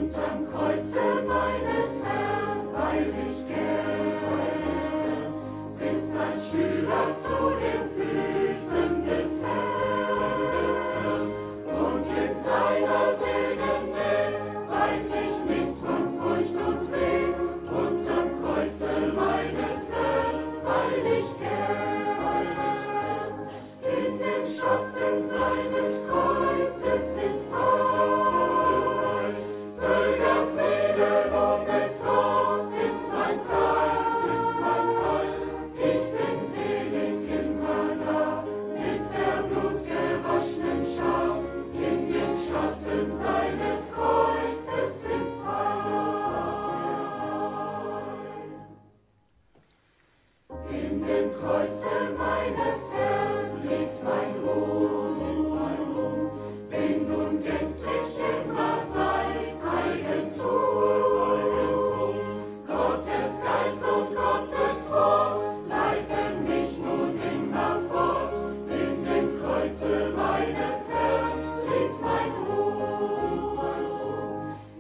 Unterm Kreuze meines Herrn, weil ich gern sitzt ein Schüler zu den Füßen des Herrn. Und in seiner selgen Nähe weiß ich nichts von Furcht und Weh. Unterm Kreuze meines Herrn, weil ich gern in dem Schatten seines Kreuzes ist Heil. Völker Frieden und mit Gott ist mein Teil, ist mein Teil. Ich bin selig immer da, mit der blutgewaschenen Schar. In dem Schatten seines Kreuzes ist Heil. In dem Kreuze meines Herrn liegt mein Ruhm, bin nun gänzlich immer sein Eigentum. Gottes Geist und Gottes Wort leiten mich nun immer fort. In dem Kreuze meines Herrn liegt mein Ruhm.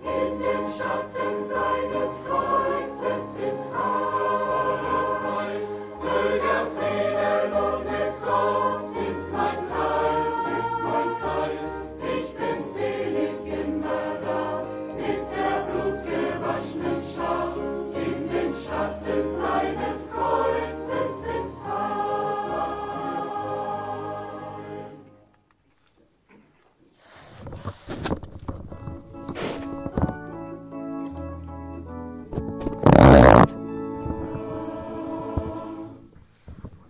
In dem Schatten seines Kreuzes ist Heil. Völker Frieden und mit Gott ist mein Teil, ist mein Teil. Ich bin selig immer da, mit der blutgewaschenen Schar. In dem Schatten seines Kreuzes ist Heil.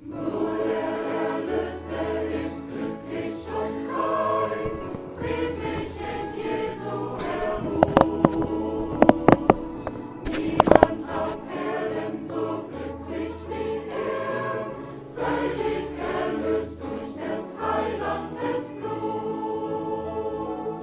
Nur der Erlöste ist glücklich und frei, friedlich in Jesu Ermut. Niemand auf Erden so glücklich wie er, völlig erlöst durch des Heilandes Blut.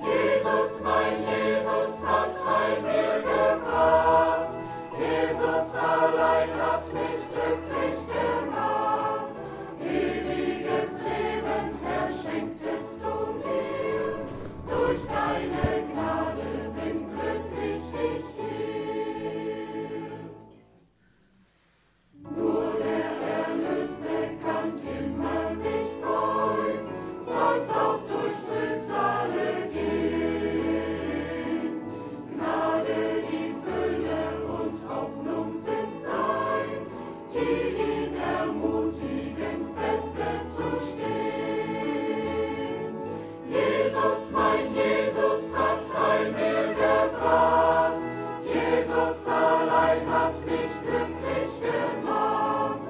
Jesus, mein Jesus, hat Heil mir gebracht. Jesus allein hat mich glücklich gemacht. Ewiges Leben verschenktest du mir. Durch deine Gnade bin glücklich ich hier. Nur der Erlöste kann immer sich freuen, soll's auch durch Trübsale gehen. Gnade, die Fülle und Hoffnung sind sein, die ihn ermutigen, feste zu stehen. Jesus, mein Jesus, hat Heil mir gebracht. Jesus allein hat mich glücklich gemacht.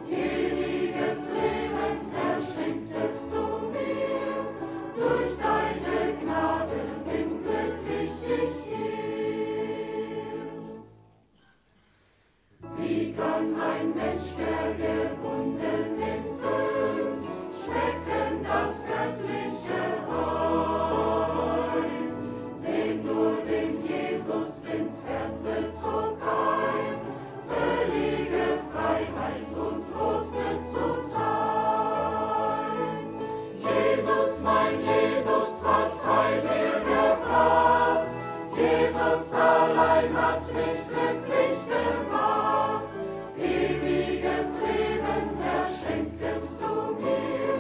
Ewiges Leben verschenktest du mir. Durch deine Gnade bin glücklich ich hier. Wie kann ein Mensch, der gebunden in Sünd, schmecken das göttliche Heil? Dem nur dem Jesus ins Herze zog ein, völlige Freiheit und Trost wird zuteil. Jesus, mein Jesus, hat Heil mir gebracht. Jesus allein hat mich glücklich gemacht. Ewiges Leben verschenktest du mir.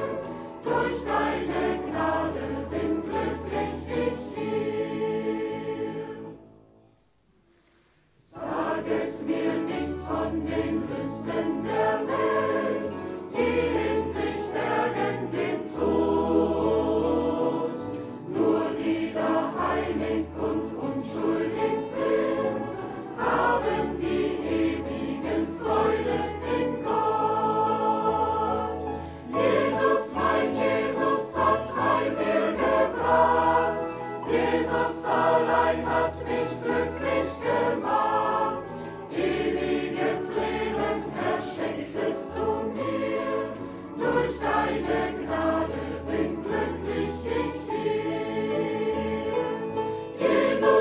Durch deine Gnade bin glücklich ich hier. Saget mir nichts von den Lüsten der Welt, die in sich bergen den Tod. Nur die da heilig und unschuldig sind, haben die ewigen Freude in Gott. Jesus, mein Jesus, hat Heil mir gebracht. Jesus allein hat mich glücklich gemacht. Ewiges Leben verschenktest du mir. Durch deine Gnade bin glücklich ich hier. Jesus,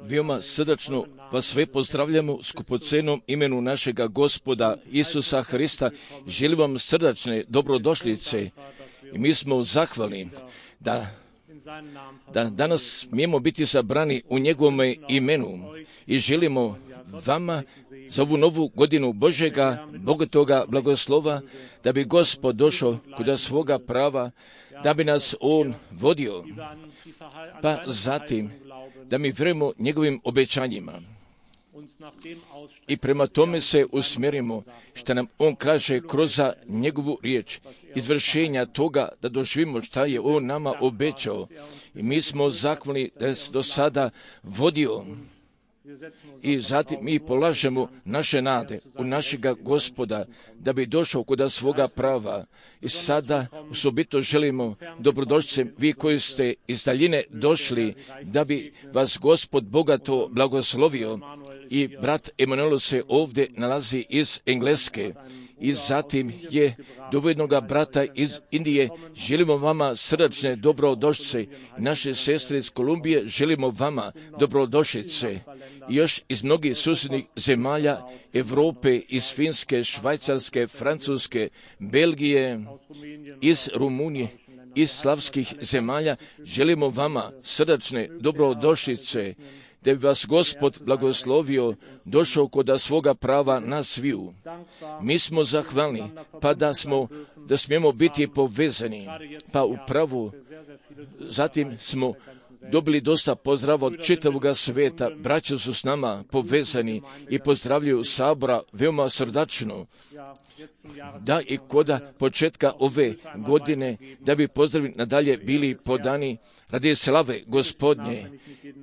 Veoma srdačno vas sve pozdravljamo skupocenom imenu našega Gospoda Isusa Hrista. Želim vam srdačne dobrodošlice i mi smo zahvalni da danas smijemo biti sabrani u njegovome imenu i želimo vama za ovu novu godinu Božjega, bogatoga blagoslova, da bi Gospod došao kod svoga prava, da bi nas On vodio, pa zatim da mi vjerujemo njegovim obećanjima i prema tome se usmjerimo što nam On kaže kroz njegovu riječ, izvršenja toga da doživimo šta je On nama obećao. I mi smo zahvalni da je do sada vodio i zatim mi polažemo naše nade u našega Gospoda da bi došao kod svoga prava. I sada osobito želimo dobrodošlice vi koji ste iz daljine došli da bi vas Gospod bogato blagoslovio. I brat Emanuel se ovdje nalazi iz Engleske i zatim je dovednoga brata iz Indije. Želimo vama srdačne dobrodošlice. Naše sestre iz Kolumbije želimo vama dobrodošlice. I još iz mnogih susjednih zemalja Europe, iz Finske, Švajcarske, Francuske, Belgije, iz Rumunije, iz slavskih zemalja želimo vama srdačne dobrodošlice, da bi vas Gospod blagoslovio, došao kod svoga prava na sviju. Mi smo zahvalni, pa da smijemo biti povezani, pa upravo zatim smo dobili dosta pozdrava od čitavoga sveta. Braća su s nama povezani i pozdravljaju sabora veoma srdačno. Da i koda početka ove godine, da bi pozdravi nadalje bili podani radi slave Gospodnje.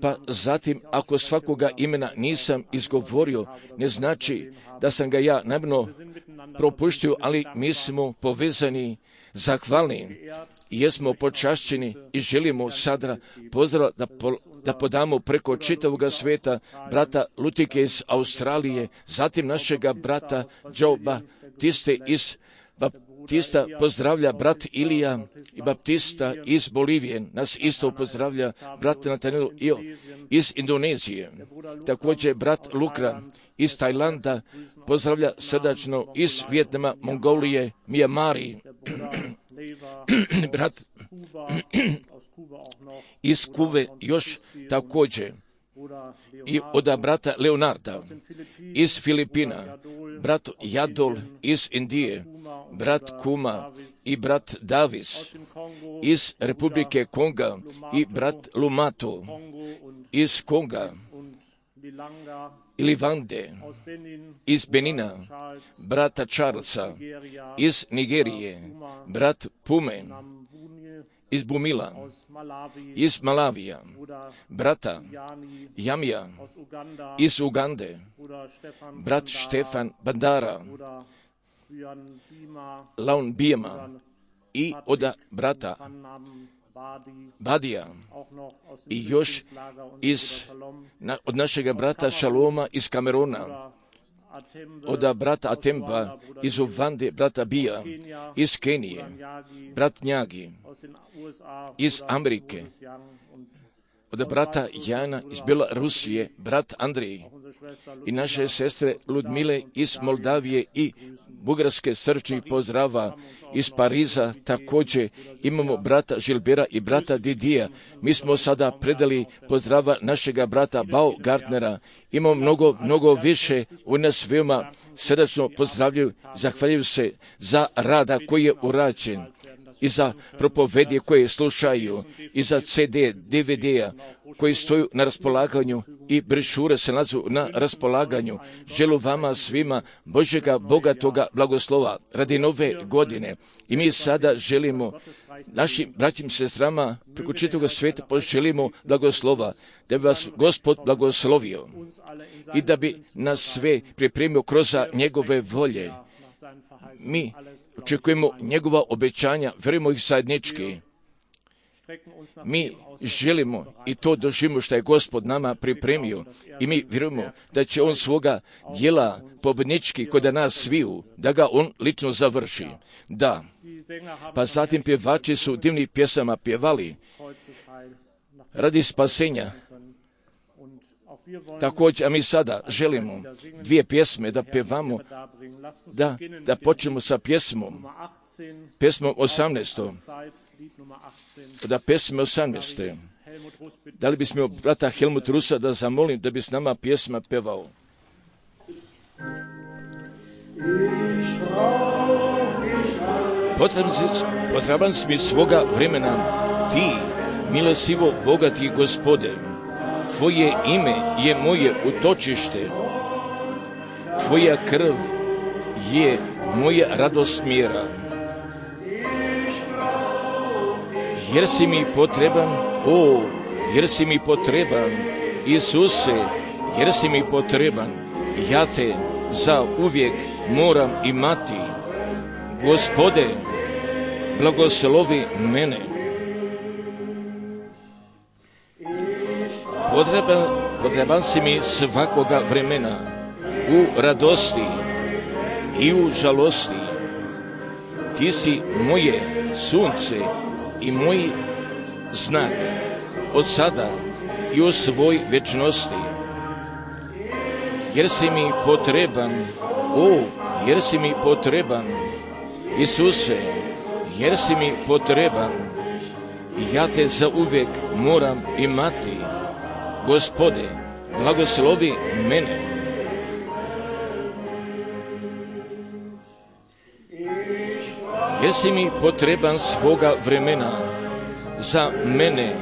Pa zatim, ako svakoga imena nisam izgovorio, ne znači da sam ga ja namjerno propuštio, ali mi smo povezani, zahvalni i jesmo počašćeni i želimo sada pozdrav da podamo preko čitavoga sveta brata Lutike iz Australije, zatim našega brata Joe Baptiste iz Baptista pozdravlja brat Ilija i Baptista iz Bolivije. Nas isto pozdravlja brat Nathaniel iz Indonezije. Također brat Lukra iz Tajlanda pozdravlja srdačno iz Vijetnama, Mongolije, Mijamari. Brat iz Kuve još također. I od brata Leonarda iz Filipina, brat Jadol iz Indije, brat Kuma i brat Davis iz Republike Konga i brat Lumato iz Konga ili Vande iz Benina, brata Charlesa iz Nigerije, brat Pume iz Bumila, iz Malavija, brata Jamija iz Ugande, brat Štefan Bandara, Laun Bijema i od brata Badija i još od našega brata Šaloma iz Kamerona, od brata Atemba iz Uvande, brata Bija iz Kenije, brat Njagi iz Amerike, od brata Jana iz Belorusije, brat Andrij i naše sestre Ludmile iz Moldavije i Bugarske srčnih pozdrava iz Pariza. Također imamo brata Žilbera i brata Didija. Mi smo sada predali pozdrava našega brata Baugartnera. Imamo mnogo više. U nas veoma srdačno pozdravljaju, zahvaljuju se za rada koji je urađen i za propovedije koje slušaju i za CD, DVD-a koji stoju na raspolaganju i brešure se nalazu na raspolaganju. Želim vama svima Božjega bogatoga blagoslova radi nove godine. I mi sada želimo našim braćim sestrama preko čitavog sveta poželimo blagoslova, da bi vas Gospod blagoslovio i da bi nas sve pripremio kroz njegove volje. Mi očekujemo njegova obećanja, vjerujemo ih zajednički. Mi želimo i to doživimo što je Gospod nama pripremio i mi vjerujemo da će On svoga djela pobjednički kod nas sviju, da ga On lično završi. Da, pa zatim pjevači su divnih pjesama pjevali radi spasenja Također, a mi sada želimo dvije pjesme da pevamo, da počnemo sa pjesmom 18. Da pjesme 18. Da li bismo brata Helmut Rusa da zamolim da bi s nama pjesma pevao? Potreban si mi svoga vremena, ti, milosivo bogati Gospode, tvoje ime je moje utočište, tvoja krv je moja radost mjera. Jer si mi potreban, jer si mi potreban, Isuse, jer si mi potreban, ja te za uvijek moram imati. Gospode, blagoslovi mene. Potreban si mi svakoga vremena, u radosti i u žalosti. Ti si moje sunce i moj znak od sada i u svoj večnosti. Jer si mi potreban, jer si mi potreban, Isuse, jer si mi potreban, ja te za uvijek moram imati. Gospode, blagoslovi mene. Jer si mi potreban svoga vremena za mene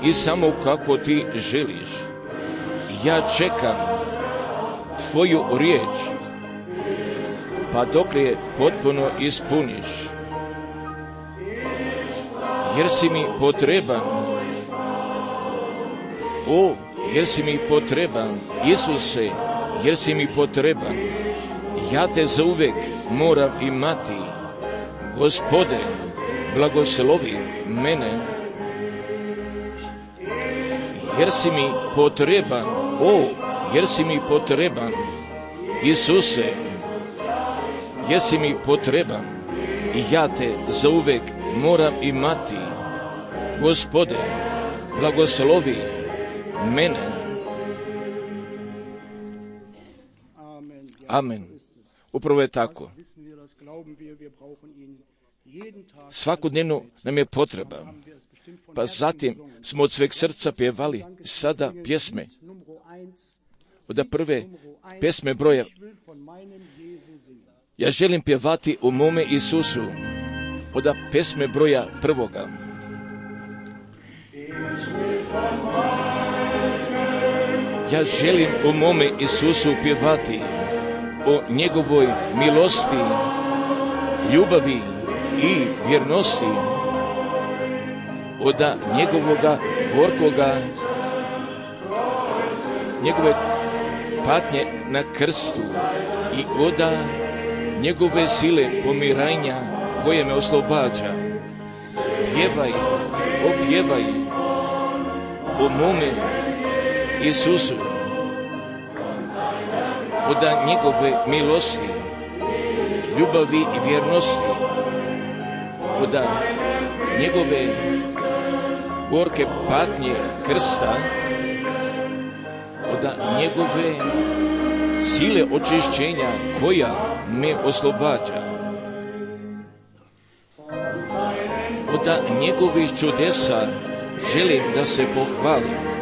i samo kako ti želiš. Ja čekam tvoju riječ, pa dok je potpuno ispuniš. Jer si mi potreban, jer si mi potreban, Isuse, jer si mi potreban, ja te zauvijek moram imati. Gospode, blagoslovi mene. Jer si mi potreban, jer si mi potreban, Isuse, jer si mi potreban i ja te zauvijek moram imati. Gospode, blagoslovi mene. Amen. Upravo je tako. Svakodnevno nam je potreba. Pa zatim smo od sveg srca pjevali sada pjesme. Od prve pjesme broja. Ja želim pjevati o mome Isusu. Od pjesme broja prvoga. Ja želim o mome Isusu pjevati, o njegovoj milosti, ljubavi i vjernosti, od njegovoga gorkoga, njegove patnje na krstu i od njegove sile pomiranja koje me oslobađa. Pjevaj, opjevaj o mome Isusu, od njegove milosti, ljubavi i vjernosti, od njegove gorke patnje krsta, od njegove sile očišćenja koja me oslobađa, od njegovih čudesa želim da se pohvalim,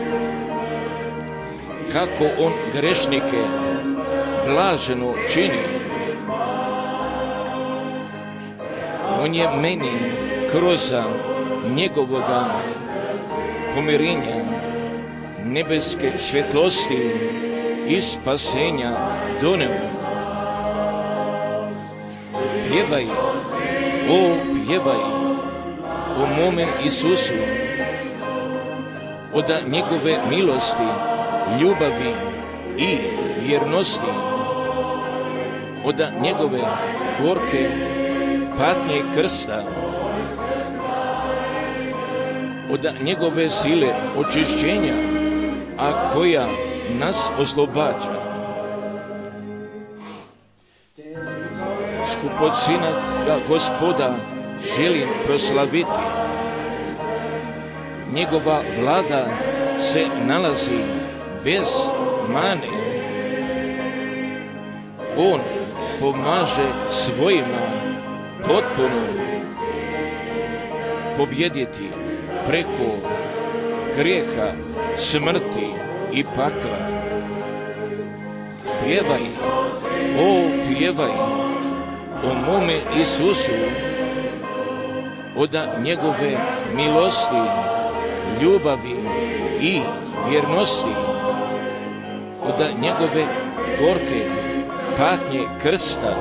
kako on grešnike blaženo čini. On je meni kroz njegovoga pomirenja, nebeske svjetlosti i spasenja doneo. Pjevaj, pjevaj o mome Isusu, od njegove milosti, ljubavi i vjernosti, od njegove gorke patnje krsta, od njegove sile očišćenja, a koja nas oslobađa. Skupocina Gospoda želim proslaviti. Njegova vlada se nalazi bez mane. On pomaže svojima potpuno pobjediti preko grijeha, smrti i pakla. Pjevaj, pjevaj o mome Isusu, od njegove milosti, ljubavi i vjernosti, od njegove gorke patnje krsta,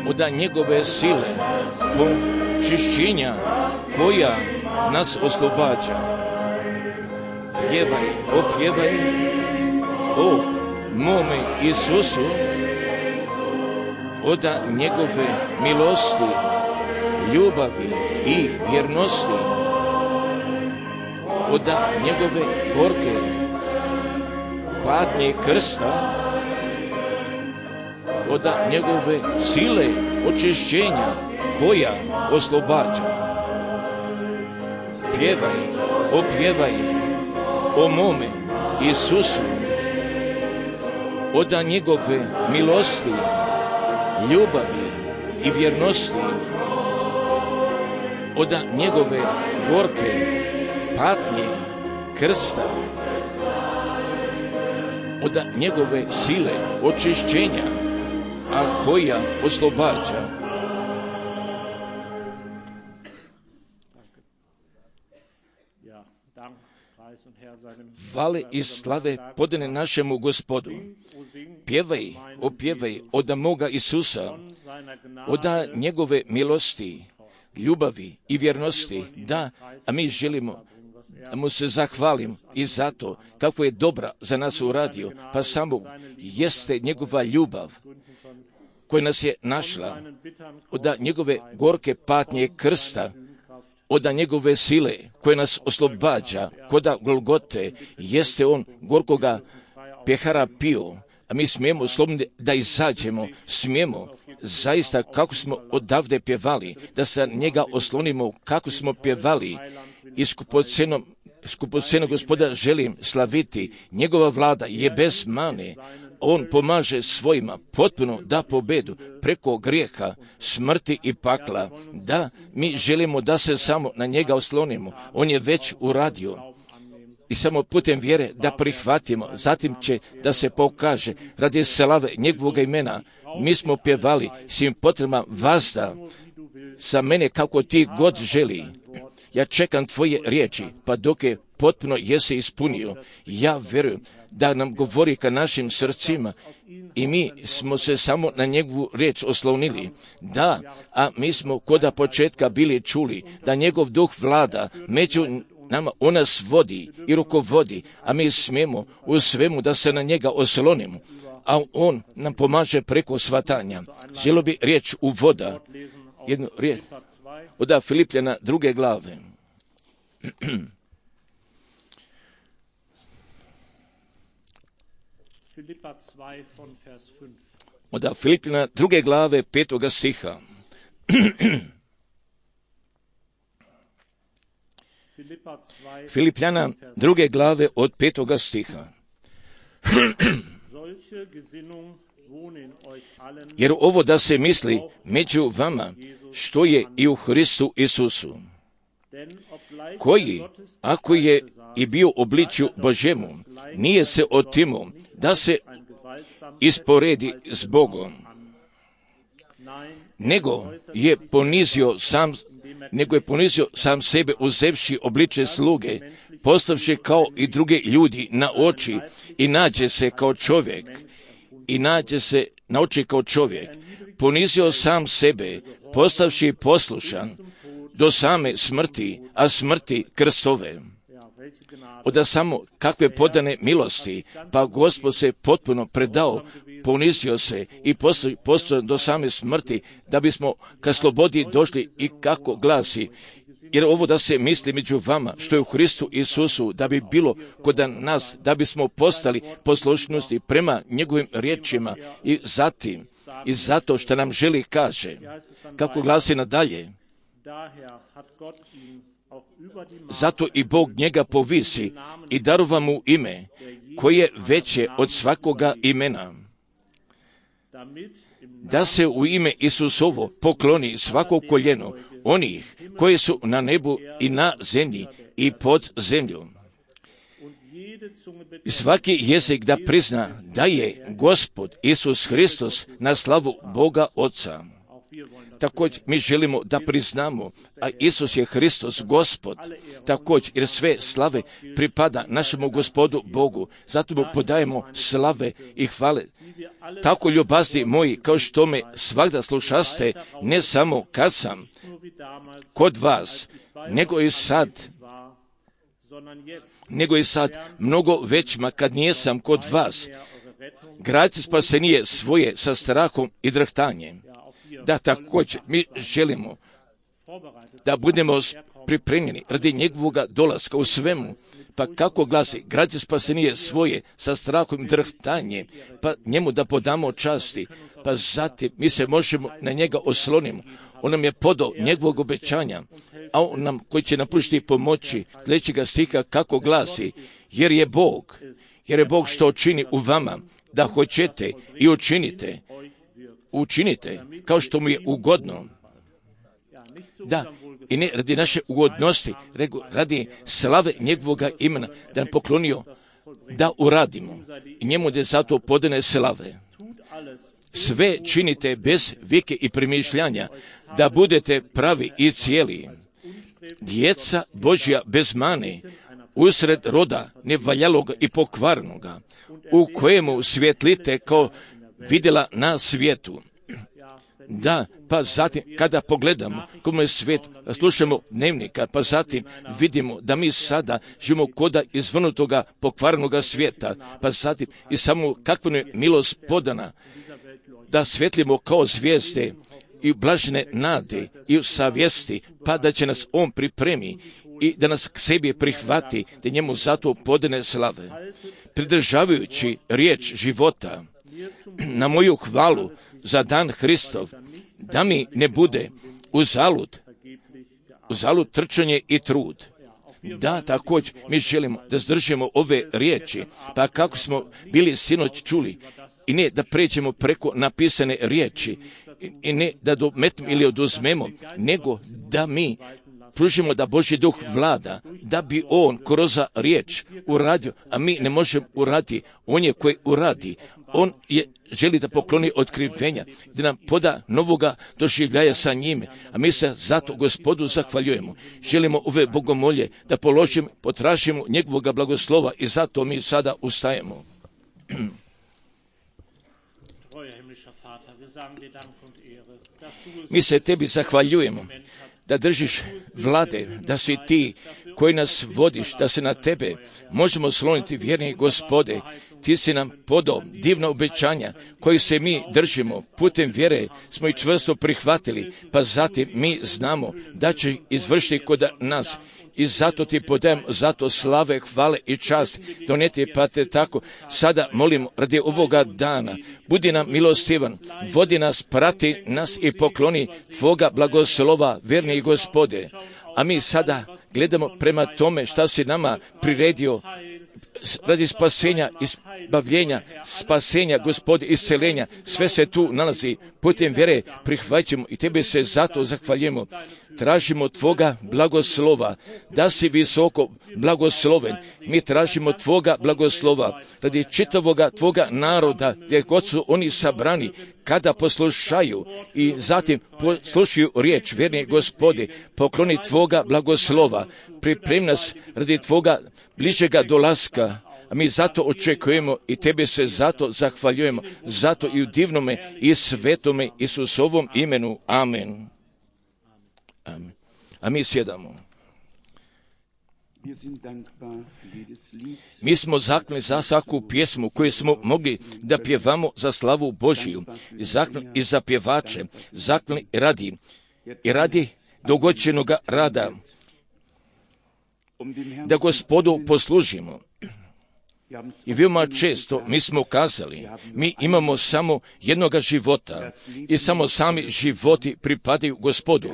od njegove sile počišćenja koja nas oslobađa. Pjevaj, opjevaj o mome Isusu, od njegove milosti, ljubavi i vjernosti, od njegove gorke patnje krsta, od njegove sile očišćenja koja oslobađa. Pjevaj, opjevaj o mome Isusu, od njegove milosti, ljubavi i vjernosti, od njegove gorke patnje krsta, od njegove sile očišćenja, a koja oslobađa. Hvale i slave podane našemu Gospodu. Pjevaj, opjevaj od moga Isusa, od njegove milosti, ljubavi i vjernosti. Da, a mi želimo da mu se zahvalim i zato kako je dobra za nas uradio, pa samo jeste njegova ljubav koja nas je našla, od njegove gorke patnje krsta, od njegove sile koje nas oslobađa, koda Golgote, jeste on gorkoga pjehara pio, a mi smijemo slobodno da izađemo, smijemo zaista kako smo odavde pjevali, da se njega oslonimo kako smo pjevali i skupoceno Gospoda želim slaviti. Njegova vlada je bez mane. On pomaže svojima potpuno da pobedu preko grijeha, smrti i pakla. Da, mi želimo da se samo na njega oslonimo. On je već uradio. I samo putem vjere da prihvatimo, zatim će da se pokaže radi slave njegovog imena. Mi smo pjevali svim potrebama vazda sa mene kako ti god želi. Ja čekam tvoje riječi, pa dok je potpuno jesi ispunio, ja vjerujem da nam govori ka našim srcima i mi smo se samo na njegovu riječ oslonili. Da, a mi smo koda početka bili čuli da njegov duh vlada među nama, on nas vodi i rukovodi, a mi smijemo u svemu da se na njega oslonimo, a on nam pomaže preko svatanja. Želio bi riječ u voda, jednu riječ od Filipljana 2. glave. Od Filipljana 2. glave 5. stiha. Filipljana 2. glave od 5. stiha. Jer ovo da se misli među vama, što je i u Hristu Isusu, koji, ako je i bio obličju Božjemu, nije se otimo da se isporedi s Bogom, nego je ponizio sam sebe uzevši obličje sluge, postavši kao i druge ljudi na oči i nađe se na oči kao čovjek. Ponizio sam sebe, postavši poslušan do same smrti, a smrti krstove. Od samo kakve podane milosti, pa Gospod se potpuno predao, ponizio se i postao do same smrti, da bismo ka slobodi došli i kako glasi. Jer ovo da se misli među vama, što je u Hristu Isusu, da bi bilo kod nas, da bismo postali poslušnosti prema njegovim riječima i zatim, i zato što nam želi kaže, kako glasi nadalje, Zato i Bog njega povisi i darova mu ime, koje je veće od svakoga imena, da se u ime Isusovo pokloni svako koljeno onih koji su na nebu i na zemlji i pod zemlju. I svaki jezik da prizna da je Gospod Isus Hristos na slavu Boga Oca. Također mi želimo da priznamo, a Isus je Hristos Gospod, također jer sve slave pripada našemu Gospodu Bogu, zato mu podajemo slave i hvale. Tako ljubazni moji, kao što me svakda slušaste, ne samo kad sam kod vas, nego i sad mnogo većma kad nijesam kod vas. Gradite spasenije svoje sa strahom i drhtanjem. Da, također mi želimo da budemo pripremljeni radi njegovoga dolaska u svemu. Pa kako glasi, gradite spasenije svoje sa strahom i drhtanjem, pa njemu da podamo časti, pa zatim mi se možemo na njega oslonimo. On nam je podao njegovog obećanja, a on nam koji će nam pružiti pomoći, sljedećega stiha kako glasi, jer je Bog što čini u vama, da hoćete i učinite kao što mu je ugodno. Da, i ne radi naše ugodnosti, nego radi slave njegovoga imena, da nam poklonio da uradimo. I njemu da zato podane slave. Sve činite bez vike i premišljanja, da budete pravi i cijeli. Djeca Božja bez mane, usred roda nevaljaloga i pokvarnoga, u kojemu svjetlite kao vidjela na svijetu. Da, pa zatim kada pogledamo kome je svijet, slušamo dnevnika, pa zatim vidimo da mi sada živimo koda izvrnutoga pokvarnoga svijeta, pa zatim i samo kakva je milost podana, da svjetlimo kao zvijezde i blažene nade i u savjesti, pa da će nas on pripremi i da nas k sebi prihvati, da njemu zato podane slave. Pridržavajući riječ života na moju hvalu za dan Hristov, da mi ne bude uzalud trčanje i trud. Da, također mi želimo da zdržimo ove riječi, pa kako smo bili sinoć čuli, i ne da pređemo preko napisane riječi, i ne da dometimo ili oduzmemo, nego da mi pružimo da Božji duh vlada, da bi on kroz riječ uradio, a mi ne možemo uraditi, on je koji uradi, on želi da pokloni otkrivenja, da nam poda novoga doživljaja sa njime, a mi se zato Gospodu zahvaljujemo. Želimo ove bogomolje da položimo, potražimo njegovoga blagoslova i zato mi sada ustajemo. Mi se tebi zahvaljujemo da držiš vlade, da si ti koji nas vodiš, da se na tebe možemo sloniti, vjerni Gospode. Ti si nam podao divna obećanja koji se mi držimo, putem vjere smo ih čvrsto prihvatili, pa zatim mi znamo da će izvršiti kod nas. I zato ti podajem, zato slave, hvale i čast doneti, pa te tako sada molimo radi ovoga dana. Budi nam milostivan, vodi nas, prati nas i pokloni tvoga blagoslova, verni Gospode. A mi sada gledamo prema tome šta si nama priredio radi spasenja, izbavljenja, spasenja, Gospode, isceljenja. Sve se tu nalazi, putem vjere prihvaćamo i tebe se zato zahvaljujemo. Tražimo tvoga blagoslova, da si visoko blagosloven. Mi tražimo tvoga blagoslova radi čitavoga tvoga naroda, gdje god su oni sabrani, kada poslušaju i zatim poslušaju riječ, vjerni Gospode, pokloni tvoga blagoslova, pripremi nas radi tvoga bližega dolaska, a mi zato očekujemo i tebe se zato zahvaljujemo, zato i u divnome i svetome Isusovom imenu. Amen. Amen. A mi sjedamo. Mi smo zahvalni za svaku pjesmu koju smo mogli da pjevamo za slavu Božiju, i za pjevače, zahvalni radi dogođenoga rada, da Gospodu poslužimo. I veoma često mi smo kazali, mi imamo samo jednoga života i samo sami životi pripadaju Gospodu.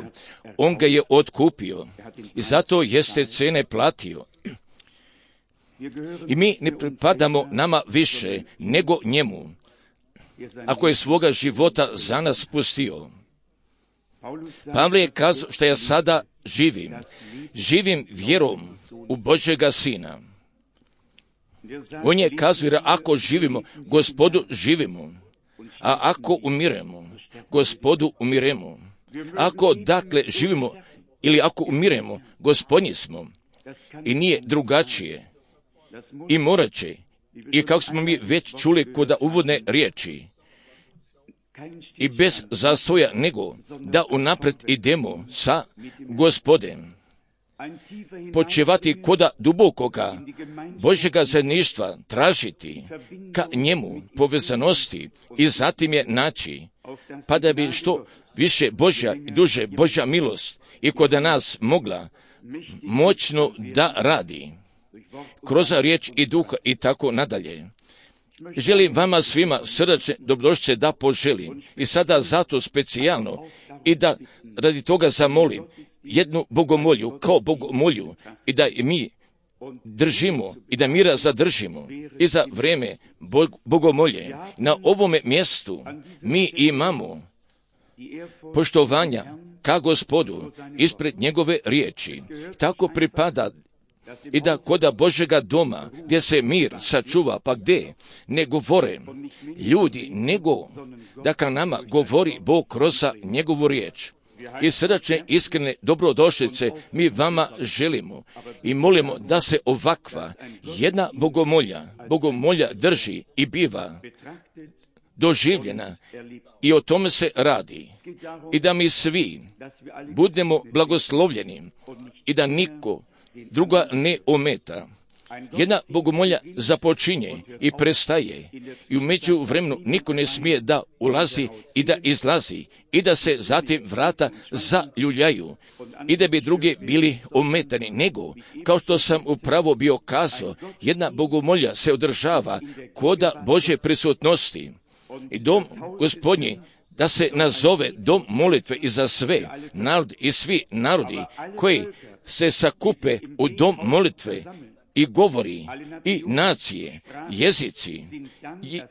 On ga je otkupio i zato jeste cene platio. I mi ne pripadamo nama više nego njemu, ako je svoga života za nas pustio. Pavle je kazao što ja sada živim vjerom u Božjega Sina. On je kazao, jer ako živimo, Gospodu živimo, a ako umiremo, Gospodu umiremo. Ako dakle živimo ili ako umiremo, Gospodnji smo. I nije drugačije. I morat će. I kako smo mi već čuli kod uvodne riječi, i bez zastoja nego da unaprijed idemo sa Gospodem, počevati koda dubokoga Božjega zajedništva, tražiti ka njemu povezanosti i zatim je naći, pa da bi što više Božja i duže Božja milost i kod nas mogla moćno da radi kroz riječ i duha i tako nadalje. Želim vama svima srdačne dobrodošlice da poželim i sada zato specijalno i da radi toga zamolim jednu bogomolju kao bogomolju i da mi držimo i da mira zadržimo i za vrijeme bogomolje. Na ovome mjestu mi imamo poštovanja ka Gospodu ispred njegove riječi. Tako pripada i da koda Božjega doma, gdje se mir sačuva, pa gdje ne govore ljudi, nego da ka nama govori Bog kroz njegovu riječ. I srdačne, iskrene dobrodošlice mi vama želimo i molimo da se ovakva jedna bogomolja drži i biva doživljena i o tome se radi. I da mi svi budemo blagoslovljeni i da niko druga ne ometa. Jedna bogomolja započinje i prestaje i u međuvremenu niko ne smije da ulazi i da izlazi i da se zatim vrata zaljuljaju i da bi drugi bili ometani, nego kao što sam upravo bio kazao, jedna bogomolja se održava koda Božje prisutnosti i dom Gospodnji da se nazove dom molitve i za sve narod i svi narodi koji se sakupe u dom molitve i govori i nacije, jezici,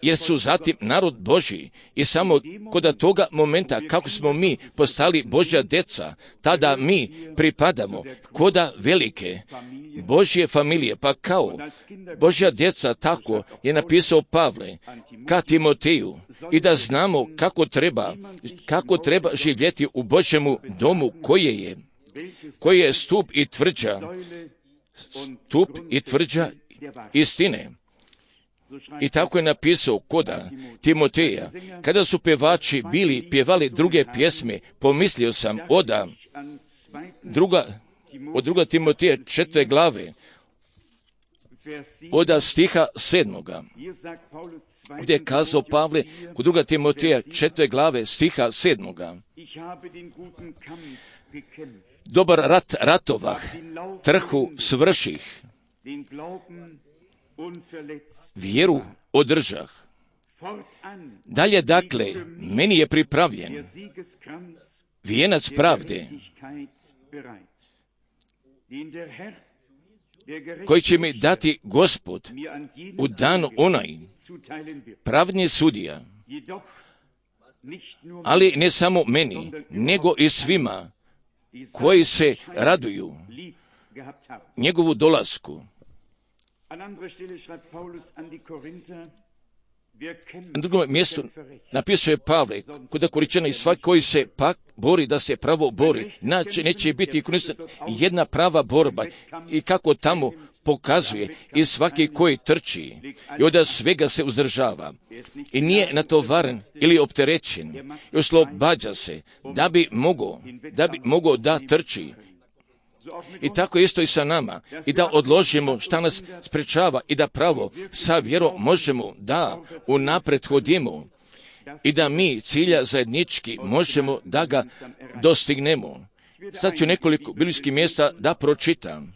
jer su zatim narod Božji i samo kod toga momenta kako smo mi postali Božja deca, tada mi pripadamo koda velike Božje familije, pa kao Božja djeca, tako je napisao Pavle ka Timoteju i da znamo kako treba živjeti u Božjemu domu koji je stup i tvrđa istine. I tako je napisao koda Timoteja. Kada su pevači pjevali druge pjesme, pomislio sam od druga Timoteja 4. glave, od stiha 7. gdje je kazao Pavle kod druga Timoteja 4. glave stiha 7. Dobar rat ratovah, trhu svrših, vjeru održah. Dalje dakle, meni je pripravljen vijenac pravde, koji će mi dati Gospod u danu onaj, pravni sudija, ali ne samo meni, nego i svima koji se raduju njegovu dolasku. Na drugom mjestu napisuje Pavle, kod Korinčana i svaki koji se pak bori da se pravo bori, neće biti jedna prava borba i kako tamo pokazuje i svaki koji trči i od svega se uzdržava i nije natovaren ili opterećen i oslobađa se da bi mogao da trči. I tako isto i sa nama i da odložimo šta nas sprečava i da pravo sa vjerom možemo da unaprijed hodimo i da mi cilja zajednički možemo da ga dostignemo sad ću nekoliko biblijskih mjesta da pročitam.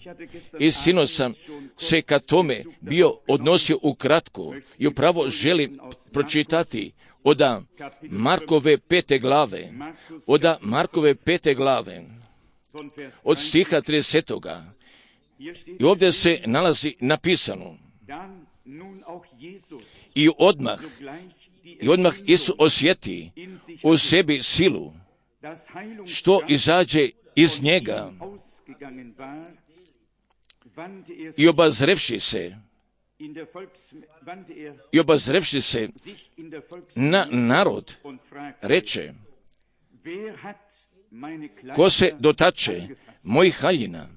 I sinoć sam se ka tome bio odnosio ukratko i upravo želim pročitati od Markove 5. glave, od stiha 30. I ovdje se nalazi napisano: I odmah Isus osjeti u sebi silu, što izađe iz njega, i obazrevši se na narod, reče: Ko se dotače mojih haljina?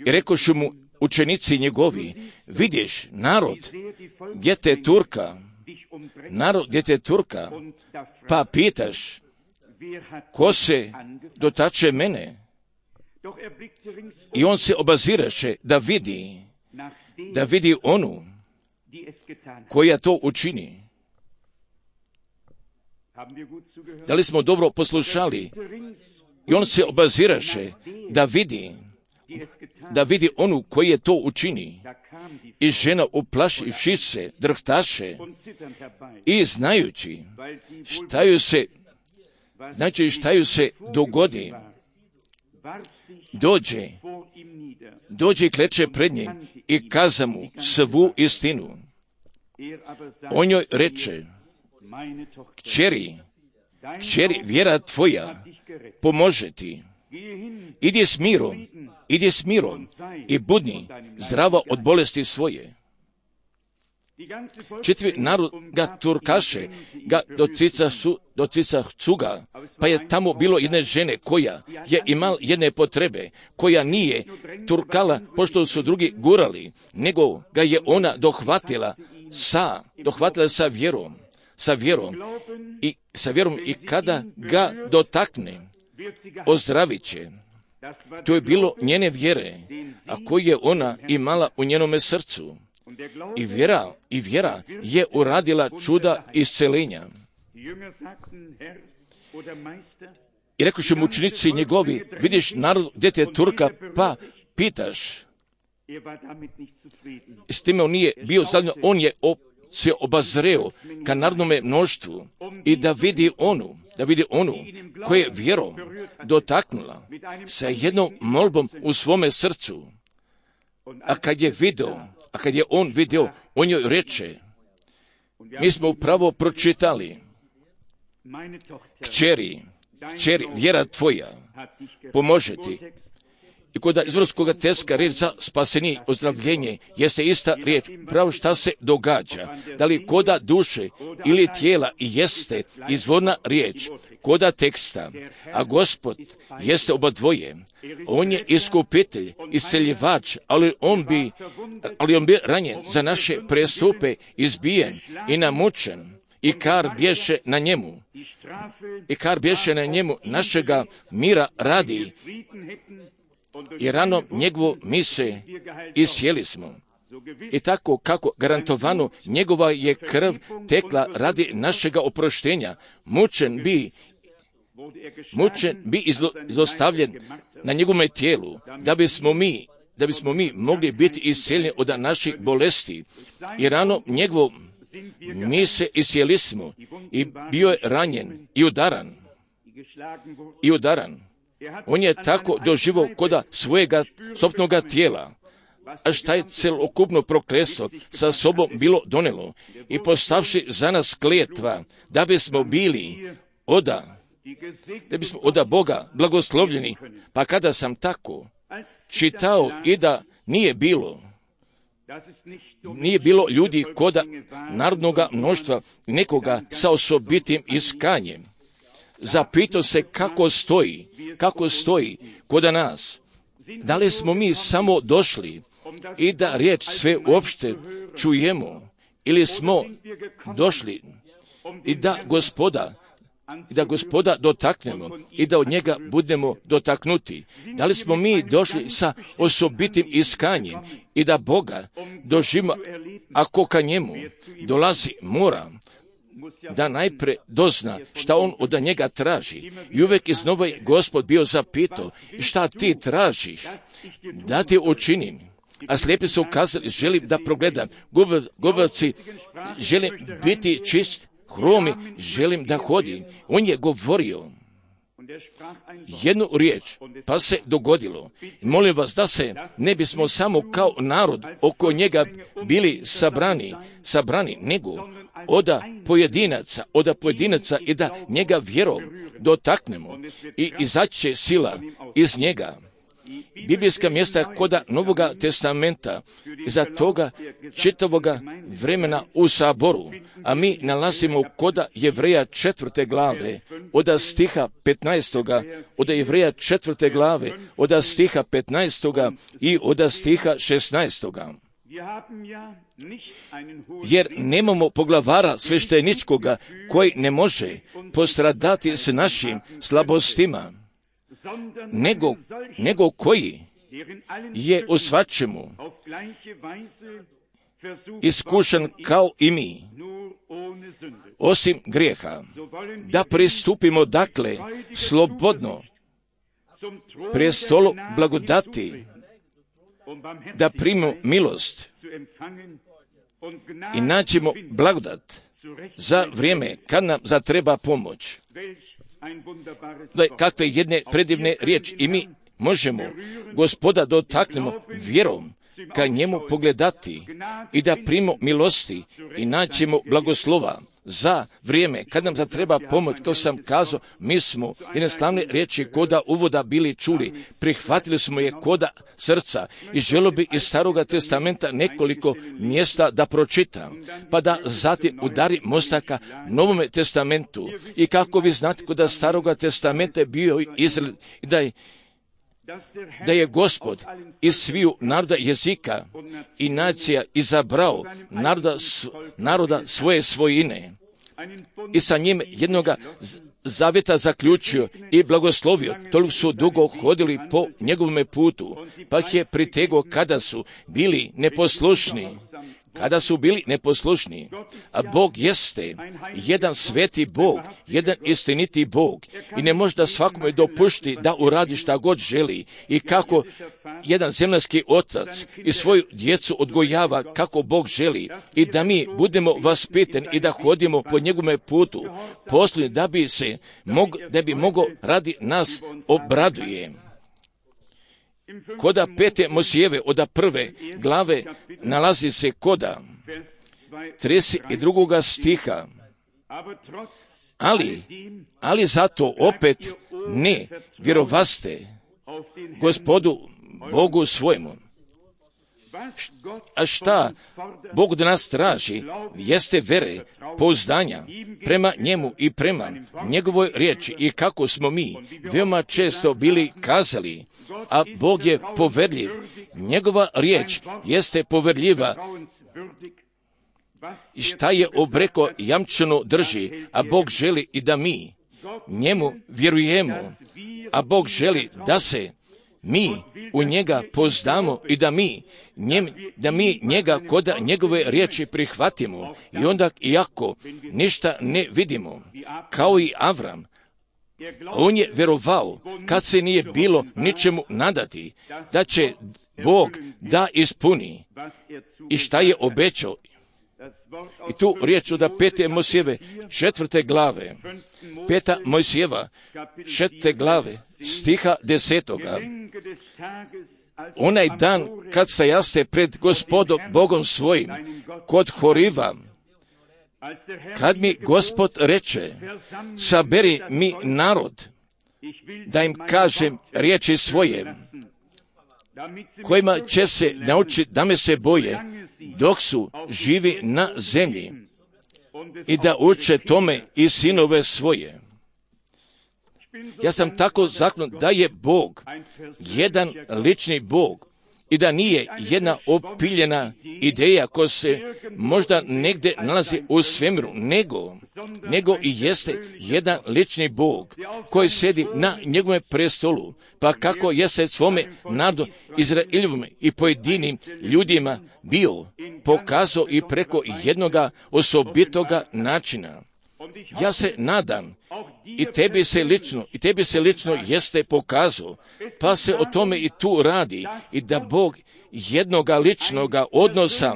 I rekošu mu učenici njegovi: Vidiš narod gdje te turka, pa pitaš: Ko se dotače mene? I on se obaziraše da vidi onu koja to učini. Da li smo dobro poslušali? I on se obaziraše da vidi onu koji je to učini. I žena uplašivši se drhtaše i znajući šta ju se dogodi, dođe i kleče pred njim i kaza mu svu istinu. On joj reče: Kćeri, vjera tvoja pomože ti. Idi s mirom i budni zdrava od bolesti svoje. Čitvi narod ga turkaše, ga docicacu ga, pa je tamo bilo jedne žene koja je imala jedne potrebe, koja nije turkala pošto su drugi gurali, nego ga je ona dohvatila sa vjerom i kada ga dotakne, ozdravit će. To je bilo njene vjere, a koju je ona imala u njenome srcu. I vjera je uradila čuda isceljenja. I rekoše mu učenici njegovi: Vidiš narod gdje te turka, pa pitaš. S time on nije bio zadovoljan, on je se obazreo ka narodnome mnoštvu i da vidi onu koja je vjerom dotaknula sa jednom molbom u svome srcu. A kad je on vidio, on joj reče: Mi smo upravo pročitali: Kćeri, vjera tvoja pomože ti. I kod izvorskog teksta riječ za spasenje, ozdravljenje, jeste ista riječ. Pravo šta se događa, da li koda duše ili tijela, jeste izvorna riječ koda teksta, a Gospod jeste oba dvoje. On je iskupitelj, isceljivač, ali on bi ranjen za naše prestupe, izbijen i namučen, i kar bješe na njemu našega mira radi, i ranom njegovo mi se isjeli smo. I tako kako garantovano njegova je krv tekla radi našega oproštenja, mučen bi izostavljen na njegovome tijelu, da bismo mi mogli biti iscijeljeni od naših bolesti. I ranom njegovo mi se isjeli smo i bio je ranjen i udaran. On je tako doživao koda svojega sopnoga tijela, a šta je celokupno prokletstvo sa sobom bilo donelo, i postavši za nas kletva, da bismo bili oda Boga blagoslovljeni. Pa kada sam tako čitao i da nije bilo ljudi koda narodnoga mnoštva, nekoga sa osobitim iskanjem, zapitao se kako stoji koda nas. Da li smo mi samo došli i da riječ sve uopšte čujemo, ili smo došli i da Gospoda dotaknemo i da od njega budemo dotaknuti? Da li smo mi došli sa osobitim iskanjem i da Boga doživimo, ako ka njemu dolazi, mora da najpre dozna šta on od njega traži. I uvijek iznova je Gospod bio zapitao, šta ti tražiš, da ti učinim. A slijepi su ukazali, želim da progledam. Gubavci, želim biti čist, hromi, želim da hodim. On je govorio jednu riječ, pa se dogodilo. Molim vas da se ne bismo samo kao narod oko njega bili sabrani, nego od pojedinaca i da njega vjerom dotaknemo i izaći će sila iz njega. Biblijska mjesta koda Novoga testamenta iza toga čitavoga vremena u saboru, a mi nalazimo koda Jevreja 4. glave, od stiha 15. od Jevreja 4. glave, od stiha 15. i od stiha 16. Jer nemamo poglavara svešteničkoga koji ne može postradati s našim slabostima, nego koji je u svačemu iskušan kao i mi, osim grijeha, da pristupimo dakle slobodno prestolu blagodati, da primimo milost i nađemo blagodat za vrijeme kad nam zatreba pomoć. Kakve jedne predivne riječi i mi možemo Gospoda dotaknemo vjerom ka njemu pogledati i da primimo milosti i naćemo blagoslova za vrijeme kad nam zatreba pomoć. Kao sam kazao, mi smo jedne slavne riječi koda uvoda bili čuli, prihvatili smo je koda srca i želio bi iz Staroga testamenta nekoliko mjesta da pročitam, pa da zatim udari mostaka Novome testamentu. I kako vi znate, koda Staroga testamenta je bio Izrael i da je Gospod iz sviju naroda, jezika i nacija izabrao naroda svoje svojine i sa njim jednoga zavjeta zaključio i blagoslovio. Toliko su dugo hodili po njegovome putu, pa ih je pritegao kada su bili neposlušni. A Bog jeste jedan sveti Bog, jedan istiniti Bog i ne može da svakome dopušti da uradi šta god želi i kako jedan zemaljski otac i svoju djecu odgojava kako Bog želi i da mi budemo vaspitani i da hodimo po njegovome putu, posljednji da bi mogao radi nas obraduje. Koda 5. Mojsijeve od 1. glave nalazi se koda 32. stiha. Ali zato opet ne vjerovaste Gospodu Bogu svojemu. A šta Bog od nas traži jeste vere, pouzdanja prema njemu i prema njegovoj riječi i kako smo mi veoma često bili kazali, a Bog je poverljiv. Njegova riječ jeste poverljiva i šta je obreko jamčeno drži, a Bog želi i da mi njemu vjerujemo, a Bog želi da se mi u njega poznamo i da mi njega koda njegove riječi prihvatimo i onda iako ništa ne vidimo, kao i Avram, on je vjerovao kad se nije bilo ničemu nadati da će Bog da ispuni i šta je obećao. I tu riječ od 5. Mojsijeve 4. glave, 5. Mojsijeva 4. glave, stiha 10. Onaj dan kad stajaste pred Gospodom Bogom svojim, kod Horiva, kad mi Gospod reče, saberi mi narod, da im kažem riječi svoje, kojima će se naučiti da me se boje, dok su živi na zemlji, i da uče tome i sinove svoje. Ja sam tako zaklon da je Bog jedan lični Bog i da nije jedna opiljena ideja koja se možda negdje nalazi u svemiru, nego i jeste jedan lični Bog koji sjedi na njegovom prestolu, pa kako jeste svome narodu Izraeljevome i pojedinim ljudima bio pokazao i preko jednoga osobitoga načina. Ja se nadam i tebi se lično jeste pokazao, pa se o tome i tu radi i da Bog jednoga ličnoga odnosa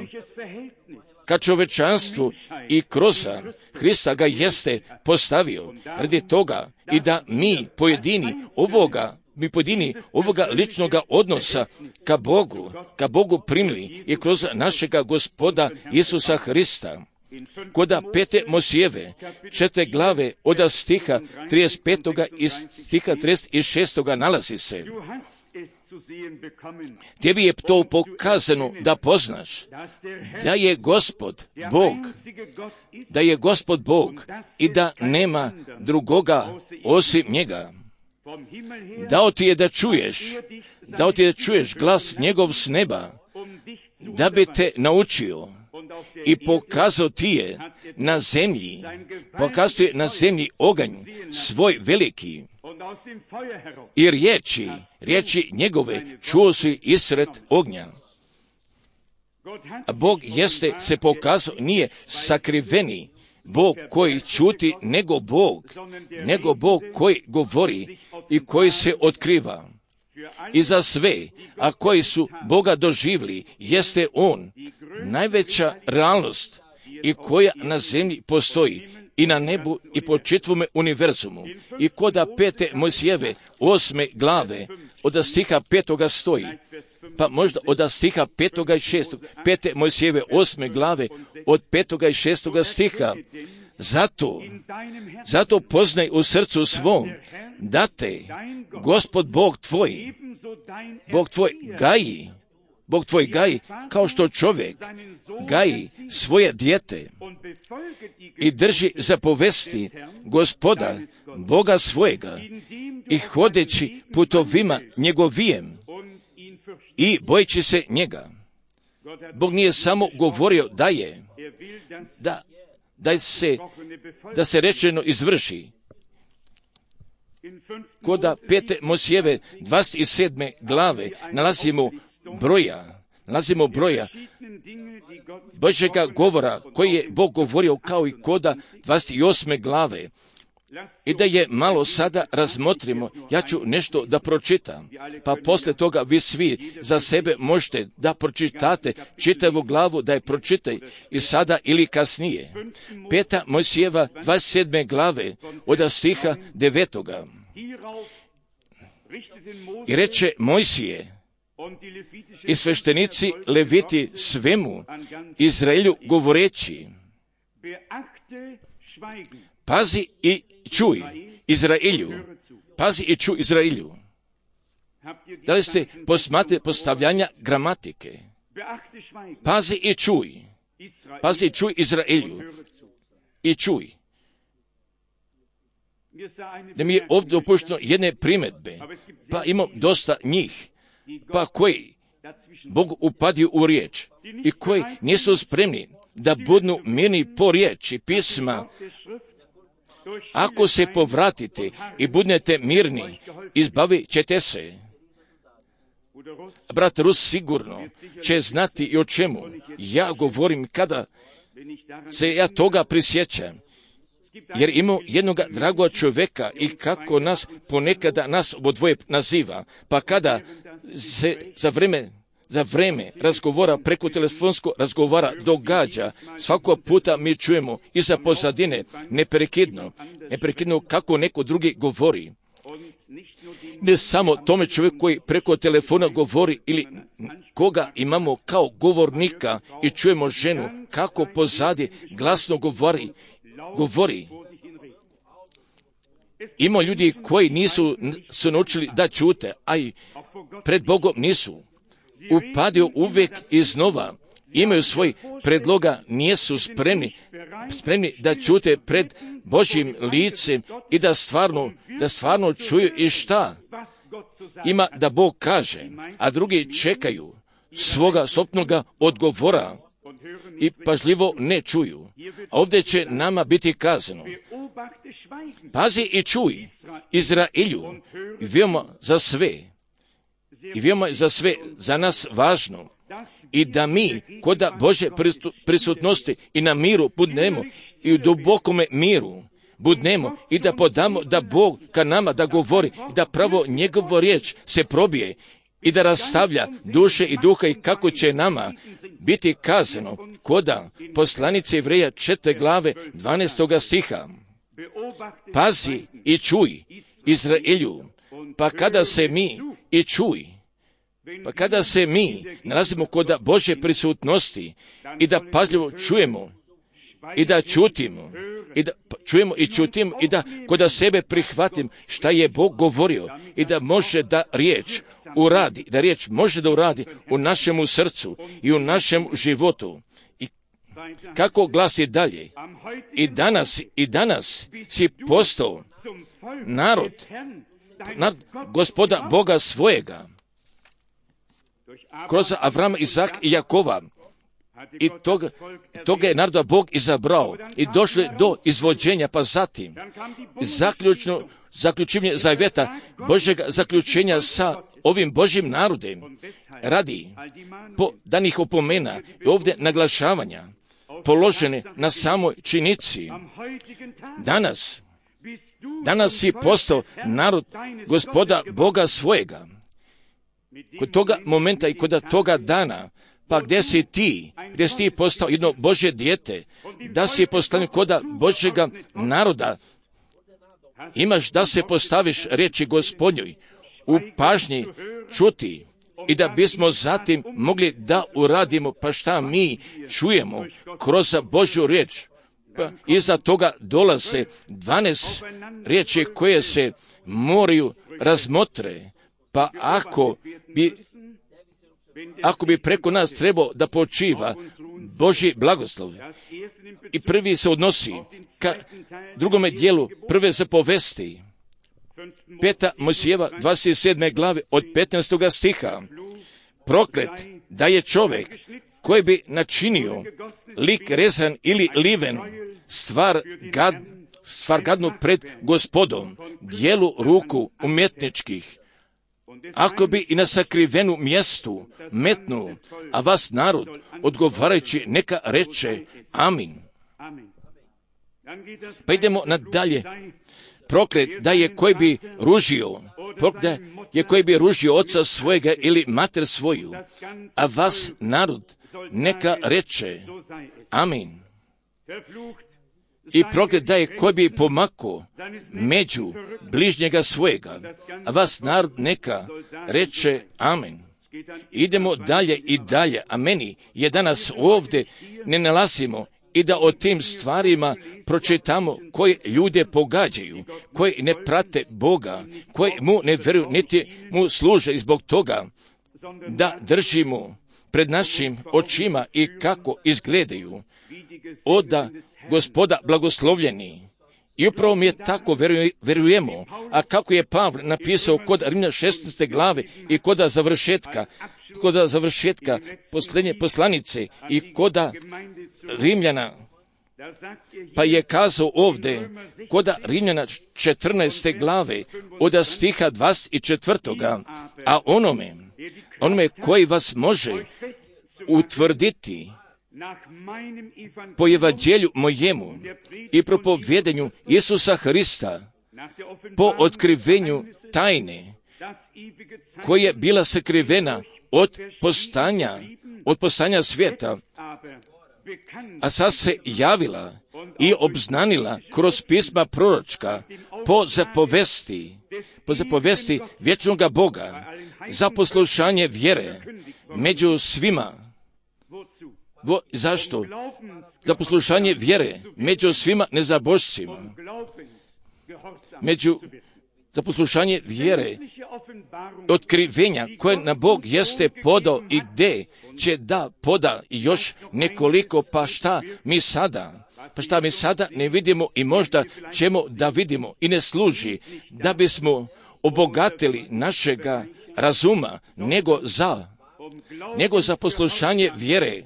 ka čovečanstvu i kroz Hrista ga jeste postavio radi toga i da mi pojedini ovoga ličnoga odnosa ka Bogu primili i kroz našega Gospoda Isusa Hrista. Koda 5. Mojsijeve 4. glave od stiha 35. i stiha 36. nalazi se. Tebi je to pokazano da poznaš da je Gospod Bog i da nema drugoga osim njega. Dao ti je da čuješ glas njegov s neba, da bi te naučio i pokazao ti je na zemlji oganj svoj veliki i riječi njegove čuo si isred ognja. A Bog jeste se pokazao, nije sakriveni Bog koji čuti, nego Bog koji govori i koji se otkriva. I za sve, a koji su Boga doživjeli, jeste On, najveća realnost i koja na zemlji postoji i na nebu i po čitavome univerzumu. I koda 5. Mojsijeve 8. glave od stiha 5. stoji, pa možda od stiha 5. i 6. 5. Mojsijeve 8. glave od 5. i 6. stiha. Zato poznaj u srcu svom da te Gospod Bog tvoj gaji kao što čovjek gaji svoje dijete i drži zapovesti Gospoda Boga svojega i hodeći putovima njegovijem i bojeći se njega. Bog nije samo govorio da se rečeno izvrši. Koda 5. Mojsijeve 27. glave nalazimo broja Božjega govora koji je Bog govorio kao i koda 28. glave. I da je malo sada razmotrimo, ja ću nešto da pročitam, pa poslije toga vi svi za sebe možete da pročitate čitavu glavu, da je pročitaj i sada ili kasnije. 5. Mojsijeva 27. glave od stiha 9. I reče Mojsije i sveštenici Leviti svemu Izraelju govoreći, pazi i čuj Izraelju. Da li ste posmatrali postavljanja gramatike? Pazi i čuj Izraelju i čuj. Da mi je ovdje dopušteno jedne primjedbe, pa imam dosta njih, pa koji Bog upadio u riječ i koji nisu spremni da budu mirni po riječi pisma. Ako se povratite i budete mirni, izbavit ćete se. Brat Rus sigurno će znati i o čemu ja govorim kada se ja toga prisjećam. Jer imamo jednog dragog čovjeka i kako nas ponekada nas obodvoje naziva, pa kada se za vrijeme razgovora preko telefonskog razgovara događa, svakog puta mi čujemo iza pozadine neprekidno kako neko drugi govori. Ne samo tome čovjeku koji preko telefona govori ili koga imamo kao govornika i čujemo ženu kako pozadi glasno govori. Ima ljudi koji nisu se naučili da ćute, a i pred Bogom nisu. Upadio uvijek iznova, imaju svoj predloga, nisu spremni da ćute pred Božjim licem i da stvarno čuju i šta ima da Bog kaže, a drugi čekaju svoga sopnoga odgovora i pažljivo ne čuju. A ovdje će nama biti kazano: pazi i čuj, Izraelju, i veoma za sve za nas važno, i da mi kod Božje prisutnosti i na miru budnemo, i u dubokome miru budnemo, i da podamo da Bog ka nama da govori, i da pravo njegovo riječ se probije i da rastavlja duše i duha, i kako će nama biti kazano koda poslanice Jevreja 4. glave 12. stiha. Pazi i čuj, Izraelju, pa kada se mi nalazimo kod Božje prisutnosti i da pažljivo čujemo i da čutimo, i da čujemo i čutimo, i da kod sebe prihvatim šta je Bog govorio, i da može da riječ uradi, da riječ može da uradi u našemu srcu i u našem životu. I kako glasi dalje? I danas si postao narod Gospoda Boga svojega, kroz Avrama, Izaka i Jakova. I toga je naroda Bog izabrao i došli do izvođenja, pa zatim zaključivanje zavjeta Božjega zaključenja sa ovim Božjim narodem radi danih opomena i ovdje naglašavanja položene na samoj činici. Danas si postao narod Gospoda Boga svojega. Kod toga momenta i kod toga dana, pa gdje si ti postao jedno Božje dijete, da si poslanik kod Božjega naroda, imaš da se postaviš riječi Gospodnjoj u pažnji čuti, i da bismo zatim mogli da uradimo pa šta mi čujemo kroz Božju riječ. Pa iza toga dolaze 12 riječi koje se moraju razmotre, pa ako bi preko nas trebao da počiva Božji blagoslov. I prvi se odnosi ka drugome dijelu prve zapovesti, 5. Mojsijeva 27. glave od 15. stiha. Proklet da je čovjek koji bi načinio lik rezan ili liven, stvar gadnu pred Gospodom, dijelu ruku umjetničkih. Ako bi i na sakrivenu mjestu metnu, a vas narod odgovarajući neka reče amin. Pa idemo nadalje. Proklet da je koji bi ružio oca svojega ili mater svoju, a vas narod neka reče amin. I proklet da je koji bi pomako među bližnjega svojega, a vas narod neka reče amen. Idemo dalje i dalje, a meni je danas ovdje ne nalazimo i da o tim stvarima pročitamo koji ljude pogađaju, koji ne prate Boga, koji mu ne vjeruju niti mu služe, i zbog toga da držimo pred našim očima i kako izgledaju oda Gospoda blagoslovljeni. I upravo mi je tako vjerujemo, a kako je Pavle napisao kod Rimljana 16. glave i kod završetka posljednje poslanice i kod Rimljana, pa je kazao ovdje kod Rimljana 14. glave od stiha 24. a onome koji vas može utvrditi po evanđelju mojemu i propovjedanju Isusa Hrista, po otkrivenju tajne koja je bila sakrivena od postanja svijeta, a sad se javila i obznanila kroz pisma proročka po zapovesti vječnoga Boga za poslušanje vjere među svima. Zašto? Za poslušanje vjere među svima nezabožcima. Za poslušanje vjere otkrivenja koje na Bog jeste podao i gdje će da poda još nekoliko, pa šta mi sada ne vidimo i možda ćemo da vidimo i ne služi da bismo obogatili našega razuma, nego za nego za poslušanje vjere,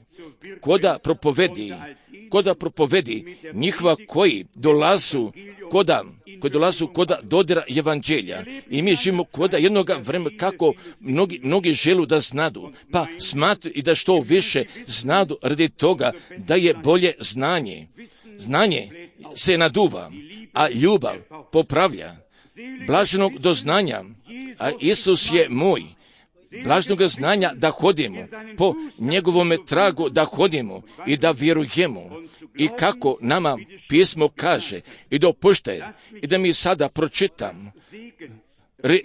koda propovedi njihova koji dolazu koda dodira evanđelja. I mi živimo koda jednoga vremena kako mnogi želu da znadu, pa smatruju i da što više znadu radi toga da je bolje znanje. Znanje se naduva, a ljubav popravlja. Blaženog doznanja, a Isus je moj, blaženog znanja da hodimo, po njegovome tragu da hodimo i da vjerujemo. I kako nama pismo kaže, i dopušte, i da mi sada pročitam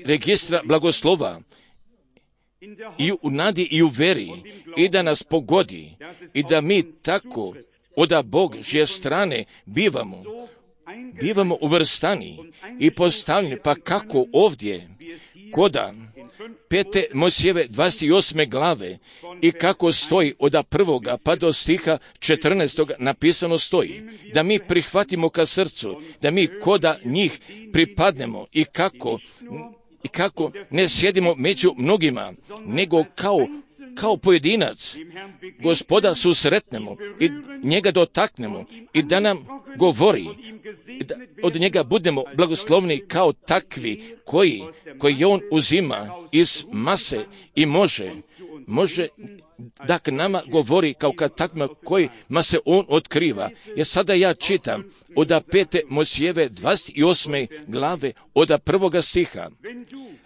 registra blagoslova, i u nadi i u veri, i da nas pogodi, i da mi tako od Božje strane bivamo uvrstani i postavljeni, pa kako ovdje koda 5. Mojsijeve 28. glave i kako stoji od 1. pa do stiha 14. napisano stoji, da mi prihvatimo ka srcu, da mi koda njih pripadnemo i kako ne sjedimo među mnogima, nego kao pojedinac Gospoda susretnemo i njega dotaknemo i da nam govori, da od njega budemo blagoslovni kao takvi koji on uzima iz mase i može da k nama govori kao kad takvima kojima se on otkriva. Jer sada ja čitam od 5. Mojsijeve 28. glave od 1. stiha.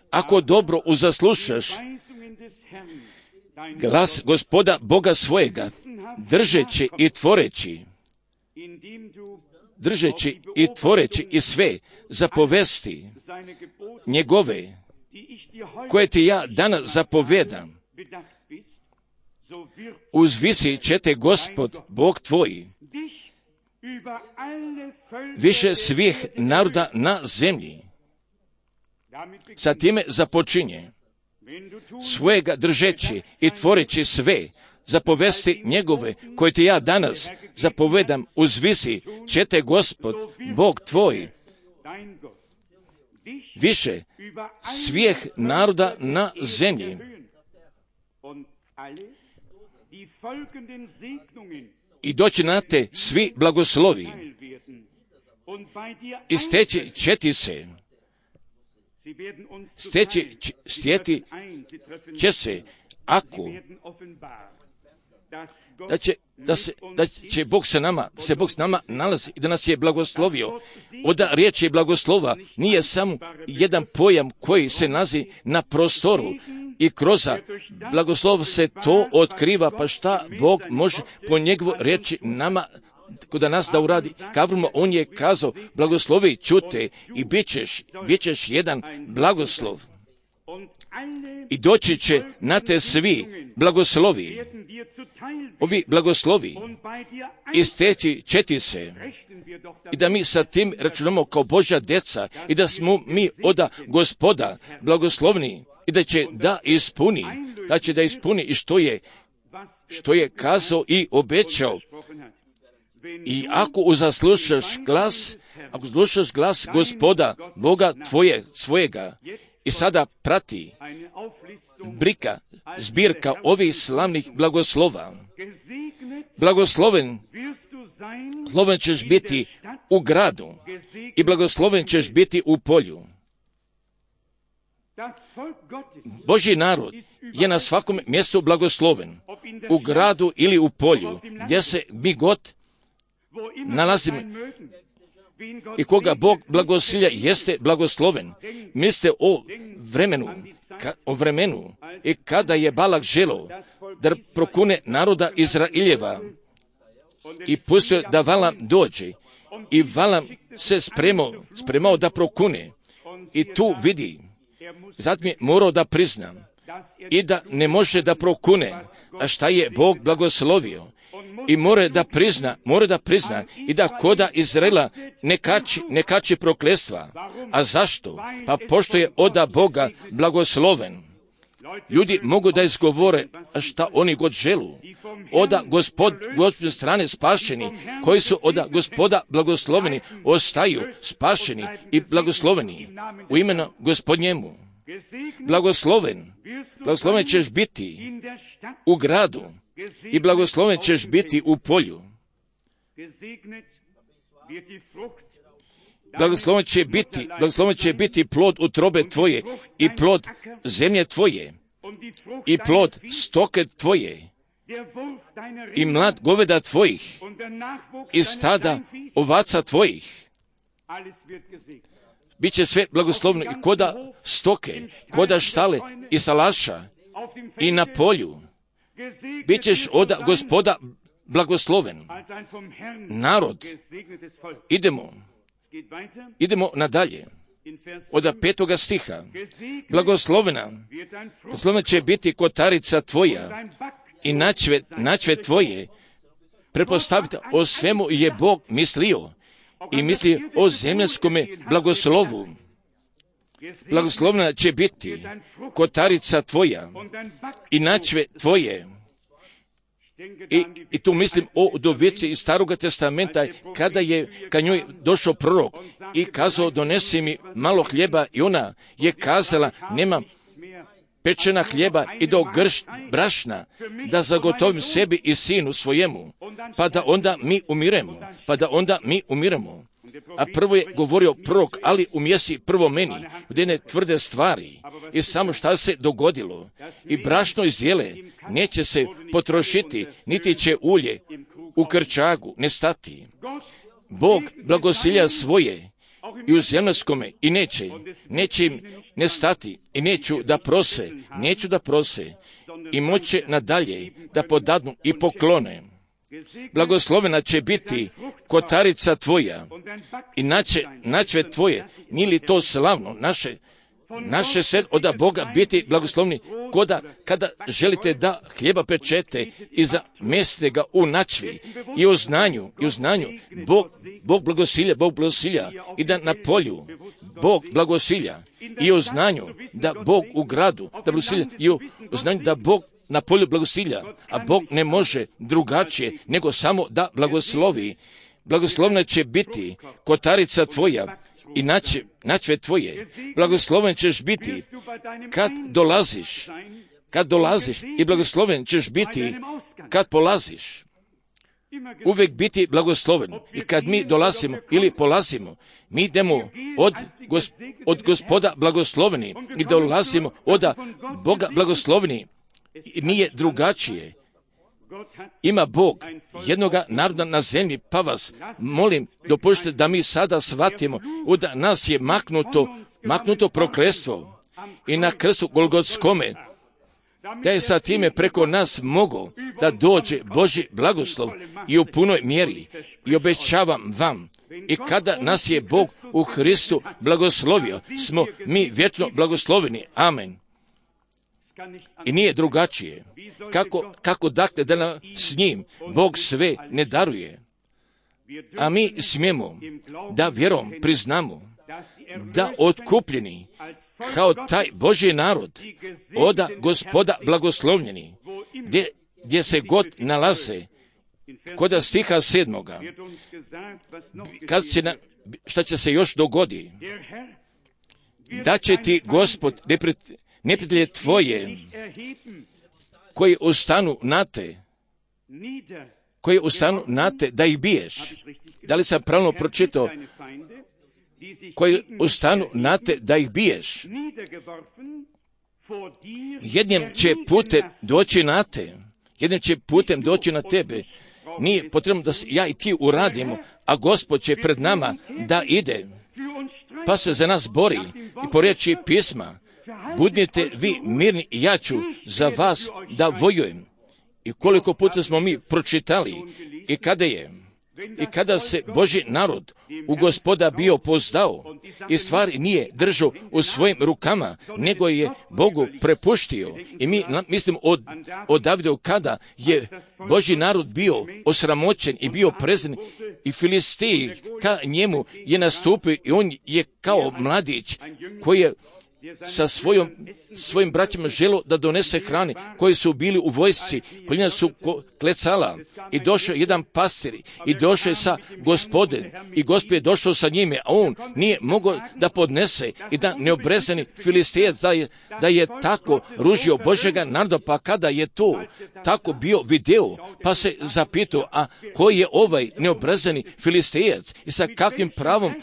Ako dobro uzaslušaš glas Gospoda Boga svojega, držeći i tvoreći i sve zapovesti njegove, koje ti ja danas zapovedam, uzvisit će te Gospod Bog tvoj više svih naroda na zemlji. Sa time započinje, svojega držeći i tvoreći sve zapovesti njegove, koje ti ja danas zapovedam, uzvisi će te Gospod Bog tvoj više svih naroda na zemlji. I doći na te svi blagoslovi i steći će se, ako da će Bog se nama nalazi i da nas je blagoslovio. Oda riječ je blagoslova nije samo jedan pojam koji se nalazi na prostoru i kroz blagoslov se to otkriva, pa šta Bog može po njegovoj riječi nama kod nas da uradi. Kavrmo, on je kazao, blagoslovi čute i bit ćeš jedan blagoslov. I doći će na te svi blagoslovi. Ovi blagoslovi isteći će ti se. I da mi sa tim računamo kao Božja djeca i da smo mi od Gospoda blagoslovni i da će da ispuni i što je kazao i obećao. I ako slušaš glas Gospoda, Boga svojega, i sada prati zbirka ovih slavnih blagoslova. Blagosloven ćeš biti u gradu i blagosloven ćeš biti u polju. Božji narod je na svakom mjestu blagosloven, u gradu ili u polju, gdje se mi god nalazimo. I koga Bog blagosilja jeste blagosloven. Mislite o vremenu i kada je Balak želeo da prokune naroda Izraeljeva i pustio da Valam dođe i Valam se spremao da prokune i tu vidi, zatim je morao da prizna i da ne može da prokune, a šta je Bog blagoslovio. I mora da prizna i da koda Izraela ne kači prokletstva. A zašto? Pa pošto je od Boga blagosloven. Ljudi mogu da izgovore šta oni god želu. Od Gospodine strane spašeni, koji su od Gospoda blagosloveni, ostaju spašeni i blagosloveni u imenu Gospodnjemu. Blagosloven ćeš biti u gradu i blagosloven ćeš biti u polju. Blagosloven će biti plod utrobe tvoje i plod zemlje tvoje i plod stoke tvoje i mlad goveda tvojih i stada ovaca tvojih. Biće sve blagoslovno i koda stoke, koda štale i salaša i na polju. Bićeš od Gospoda blagosloven. Narod, idemo nadalje. Od 5. stiha. Blagoslovena će biti kotarica tvoja i načve tvoje. Pretpostavite, o svemu je Bog mislio i misli o zemljskome blagoslovu. Blagoslovena će biti kotarica tvoja i načve tvoje. I tu mislim o udovici iz Staroga testamenta, kada je ka njoj došao prorok i kazao, donesi mi malo hljeba, i ona je kazala, nema pečena hljeba i do gršt brašna, da zagotovim sebi i sinu svojemu, pa da onda mi umiremo. A prvo je govorio prorok, ali umjesi prvo meni, gdje ne tvrde stvari. I samo šta se dogodilo? I brašno iz jele neće se potrošiti, niti će ulje u krčagu nestati. Bog blagosilja svoje i u zemljskome i neće im nestati i neću da prose i moće nadalje da podadnu i poklone. Blagoslovena će biti kotarica tvoja i načve tvoje. Nije li to slavno? Naše se od Boga biti blagoslovni, kada želite da hljeba pečete i zamestite ga u načvi i u znanju. Bog blagosilja i da na polju Bog blagosilja i u znanju da Bog u gradu da blagosilja i u znanju da Bog na polju blagosilja, a Bog ne može drugačije nego samo da blagoslovi. Blagoslovna će biti kotarica tvoja i načve tvoje. Blagosloven ćeš biti kad dolaziš i blagosloven ćeš biti kad polaziš. Uvijek biti blagosloven. I kad mi dolazimo ili polazimo, mi idemo od Gospoda blagosloveni i dolazimo od Boga blagosloveni. Nije drugačije. Ima Bog jednoga naroda na zemlji, pa vas molim, dopustite da mi sada shvatimo da nas je maknuto prokletstvo i na krstu Golgotskome, da je sa time preko nas mogao da dođe Božji blagoslov i u punoj mjeri. I obećavam vam, i kada nas je Bog u Hristu blagoslovio, smo mi vječno blagosloveni. Amen. I nije drugačije. Kako dakle da nam s njim Bog sve ne daruje? A mi smijemo da vjerom priznamo da otkupljeni kao taj Božji narod od Gospoda blagoslovljeni, gdje se god nalaze, kod stiha 7. Šta će se još dogoditi? Da će ti Gospod neprijatelje tvoje koji ustanu na te da ih biješ. Da li sam pravilno pročitao? Koji ustanu na te da ih biješ. Jednim će putem doći na te. Jednim će putem doći na tebe. Nije potrebno da ja i ti uradimo, a Gospod će pred nama da ide. Pa se za nas bori i po riječi pisma. Budite vi mirni i ja ću za vas da vojujem. I koliko puta smo mi pročitali i kada se Božji narod u Gospoda bio pozdao i stvari nije držao u svojim rukama, nego je Bogu prepuštio. I mi mislim o Davidu, kada je Božji narod bio osramoćen i bio prezren i Filistiji ka njemu je nastupio i on je kao mladić koji je sa svojim braćima želo da donese hrane koji su bili u vojsci, koljena su klecala i došao jedan pastir i došao je sa Gospodem i Gospod je došao sa njime, a on nije mogao da podnese i da neobrezani Filistejac da je tako ružio Božjega naroda, pa kada je to tako bio video, pa se zapitao, a koji je ovaj neobrezani Filistejac i sa kakvim pravom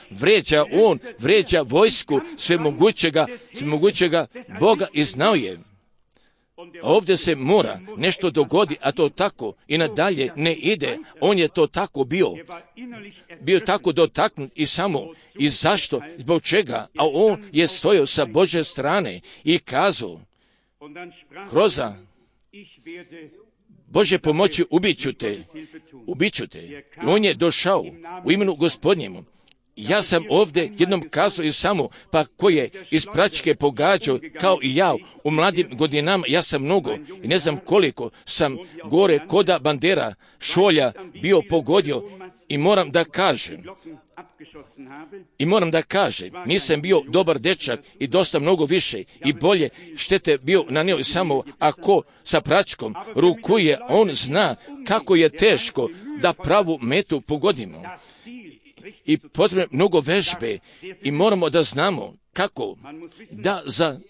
vređa vojsku svemogućega Boga i znao je. Ovdje se mora nešto dogodi, a to tako i nadalje ne ide. On je to tako bio tako dotaknut i samo. I zašto? Zbog čega? A on je stojao sa Božje strane i kazao, kroz Bože pomoći ubit ću te. I on je došao u imenu Gospodnjemu. Ja sam ovdje jednom kazao i samo, pa ko je iz praćke pogađao kao i ja u mladim godinama, ja sam mnogo i ne znam koliko sam gore koda bandera šolja bio pogodio i moram da kažem, nisam bio dobar dečak i dosta mnogo više i bolje štete bio nanio samo ako sa praćkom rukuje, on zna kako je teško da pravu metu pogodimo. I potrebno mnogo vežbe i moramo da znamo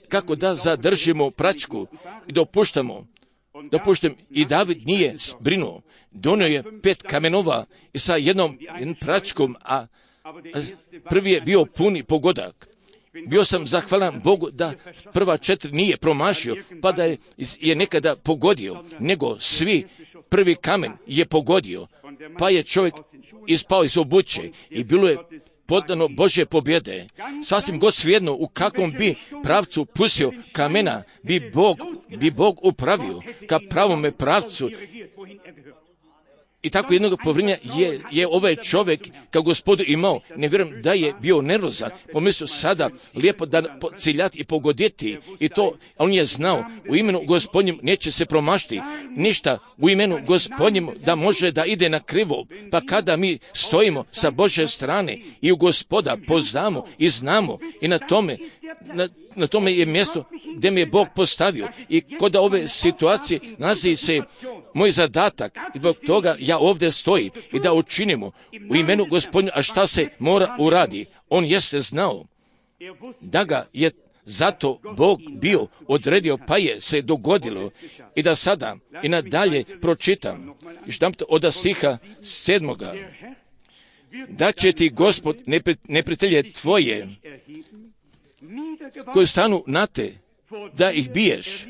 kako da zadržimo praćku i dopuštam. I David nije brinuo. Donio je 5 kamenova i sa jednom praćkom, a prvi je bio puni pogodak. Bio sam zahvalan Bogu da prva 4 nije promašio, pa da je nekada pogodio, nego svi prvi kamen je pogodio, pa je čovjek ispao iz obuće i bilo je podano Božje pobjede. Sasvim god svejedno u kakvom bi pravcu pustio kamena, bi Bog upravio ka pravome pravcu. I tako jednog povrinja je ovaj čovjek kao Gospodu imao. Ne vjerujem da je bio nervozan. Pomislio sada lijepo da ciljati i pogoditi. I to on je znao. U imenu Gospodnjem neće se promašiti. Ništa u imenu Gospodnjem da može da ide na krivo. Pa kada mi stojimo sa Božje strane i u Gospoda poznamo i znamo i na tome je mjesto gdje me je Bog postavio. I kod ove situacije nalazi se moj zadatak. I zbog toga ja ovdje stojim i da učinimo u imenu Gospodnja, a šta se mora uradi. On jeste znao da ga je zato Bog bio odredio, pa je se dogodilo. I da sada i nadalje pročitam od stiha 7. Da će ti Gospod neprijatelje tvoje koji stanu na te, da ih biješ,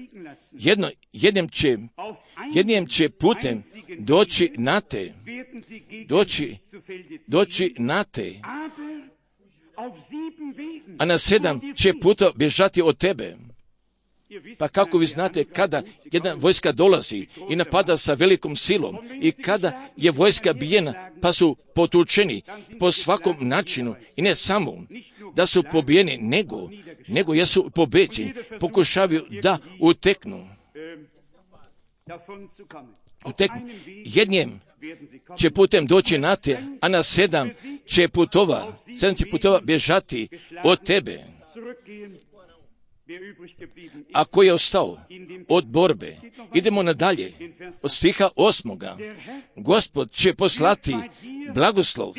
jednim će putem doći na te, a na 7 će puta bježati od tebe. Pa kako vi znate, kada jedna vojska dolazi i napada sa velikom silom i kada je vojska bijena, pa su potučeni po svakom načinu i ne samo da su pobijeni, nego jesu pobeđeni, pokušavaju da uteknu. Jednim će putem doći na te, a na 7 će putova bježati od tebe. A ko je ostao od borbe? Idemo nadalje. Od stiha 8. Gospod će poslati blagoslov.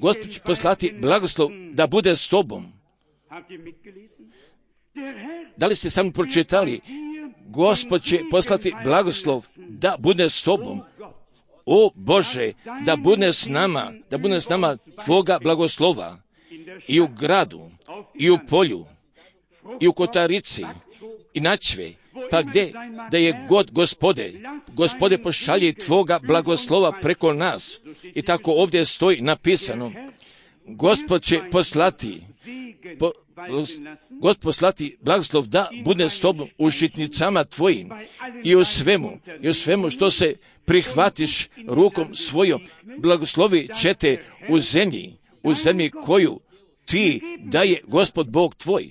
Gospod će poslati blagoslov da bude s tobom. Da li ste samo pročitali? Gospod će poslati blagoslov da bude s tobom. O Bože, da bude s nama tvoga blagoslova i u gradu, i u polju, i u kotarici, i načve, pa gdje da je god Gospode pošalji tvoga blagoslova preko nas. I tako ovdje stoji napisano, Gospod će poslati blagoslov da bude s tobom u žitnicama tvojim i u svemu što se prihvatiš rukom svojom, blagoslovi će te u zemlji koju ti daje Gospod Bog tvoj.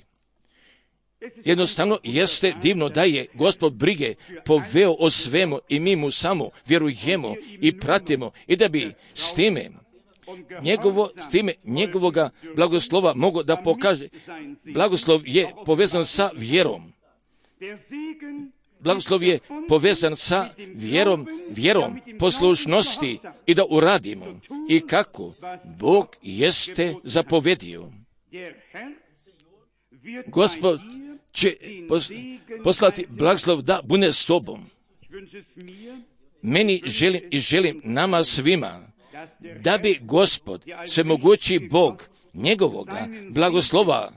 Jednostavno jeste divno da je Gospod brige poveo o svemu i mi mu samo vjerujemo i pratimo i da bi s time njegovoga blagoslova mogu da pokaže. Blagoslov je povezan sa vjerom. Blagoslov je povezan sa vjerom poslušnosti i da uradimo. I kako Bog jeste zapovedio. Gospod će poslati blagoslov da bude s tobom. Meni želim nama svima da bi Gospod, svemogući Bog, njegovoga blagoslova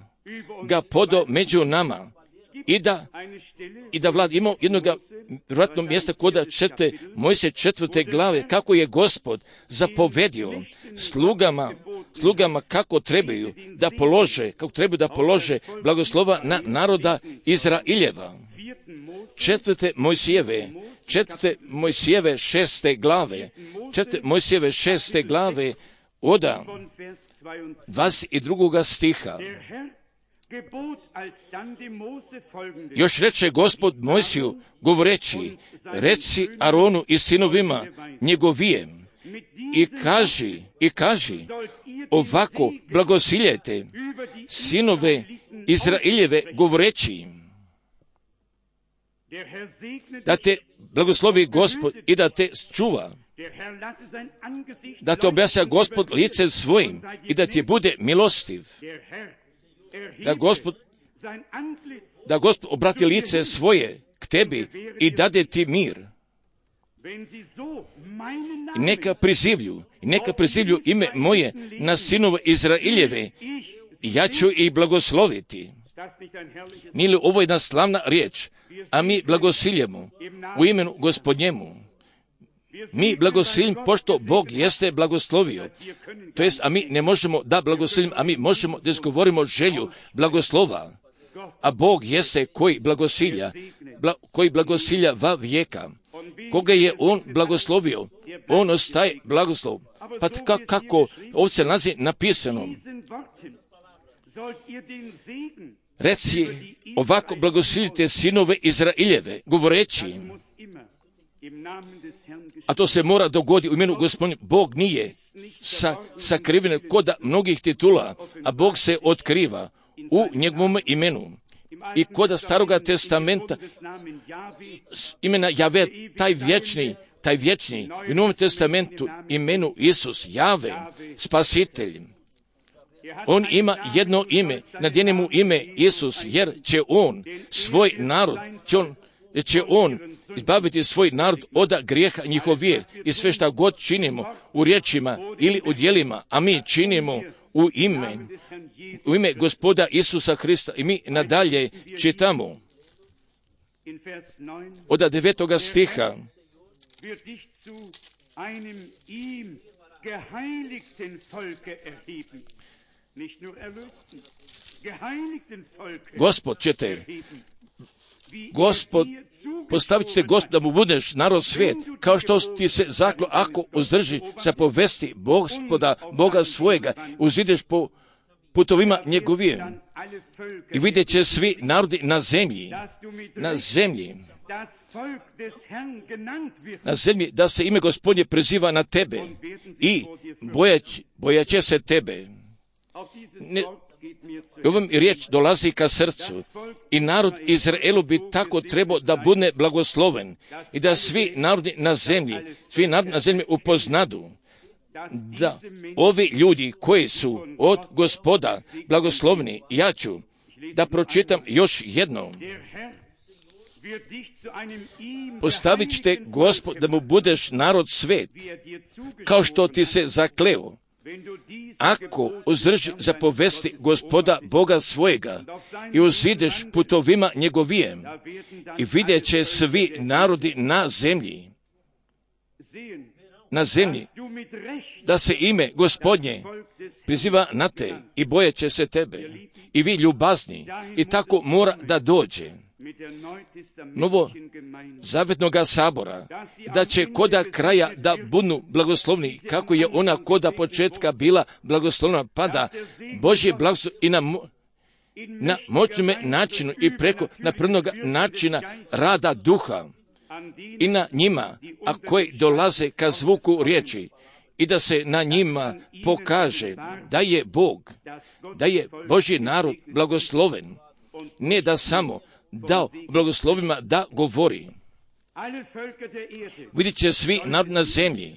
ga podo među nama i da vlada. Imao jednog vjerojatno mjesta kod Mojsije 4. glave, kako je Gospod zapovedio slugama kako trebaju da polože blagoslova na naroda Izraeljeva. 4. Mojsijeve 6. glave, 4. Mojsijeve 6. glave od 22. stiha. Još reče Gospod Mojsiju govoreći, reci Aronu i sinovima njegovijem i kaži, ovako blagosiljajte sinove Izraeljeve govoreći im, da te blagoslovi Gospod i da te čuva, da te objasja Gospod licem svojim i da ti bude milostiv, da Gospod obrati lice svoje k tebi i dade ti mir. I neka prizivlju ime moje na sinove Izraeljeve, i ja ću ih blagosloviti. Nije li ovo jedna slavna riječ? A mi blagosiljemo u imenu Gospodnjemu. Mi blagosiljimo pošto Bog jeste blagoslovio. To jest, a mi ne možemo da blagosiljimo, a mi možemo da izgovorimo želju blagoslova. A Bog jeste koji blagosilja va vijeka. Koga je On blagoslovio, On ostaje blagoslov. Pa kako ovdje nalazi napisano? Reci, ovako blagosiljite sinove Izraeljeve, govoreći im. A to se mora dogoditi u imenu Gospodnju. Bog nije sakriven kod mnogih titula, a Bog se otkriva u njegovom imenu. I kod Staroga testamenta imena Jave, taj vječni, u Novom testamentu imenu Isus, Jave, Spasitelj. On ima jedno ime, nadjene mu ime Isus, jer će on svoj narod, će on izbaviti svoj narod od grijeha njihovih. I sve šta god činimo u riječima ili u djelima, a mi činimo u ime Gospoda Isusa Hrista. I mi nadalje čitamo od 9. stiha. Gospod, postavit ćete Gospod da mu budeš narod svijet, kao što ti se zaklo, ako uzdrži sa povesti Gospoda, Boga svojega, uzideš po putovima njegovim. I vidjet će svi narodi na zemlji, da se ime Gospodnje preziva na tebe i bojat će se tebe. Ovom riječ dolazi ka srcu i narod Izraelu bi tako trebao da bude blagosloven i da svi narodi na zemlji upoznadu da ovi ljudi koji su od Gospoda blagoslovni. Ja ću da pročitam još jednom. Postavit ćete Gospod da mu budeš narod svet, kao što ti se zakleo. Ako uzdrži za povesti Gospoda Boga svojega i uzideš putovima njegovijem, i vidjet će svi narodi na zemlji, da se ime Gospodnje priziva na te i bojet će se tebe. I vi ljubazni, i tako mora da dođe novo zavetnoga sabora, da će koda kraja da budu blagoslovni, kako je ona koda početka bila blagoslovna, pa da Božje blagoslov i na moćnom načinu i preko naprednog načina rada duha i na njima, a koji dolaze ka zvuku riječi i da se na njima pokaže da je Bog, da je Božji narod blagosloven, ne da samo dao blagoslovima da govori. Vidjet će svi na zemlji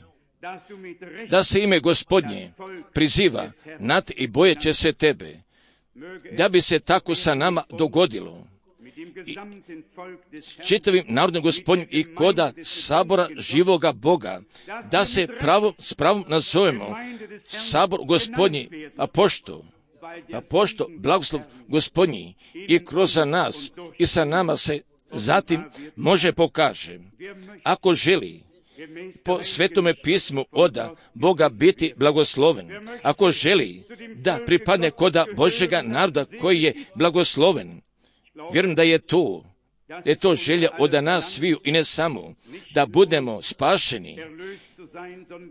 da se ime Gospodnje priziva nad i bojeće se tebe, da bi se tako sa nama dogodilo. S čitavim narodom Gospodnjim i koda sabora živoga Boga, da se s pravom nazovemo sabor Gospodnji, a pošto blagoslov Gospodnji i kroz nas i sa nama se zatim može pokaže. Ako želi po Svetome pismu oda Boga biti blagosloven, ako želi da pripadne koda Božjega naroda koji je blagosloven, vjerujem da je to želja od nas sviju i ne samo da budemo spašeni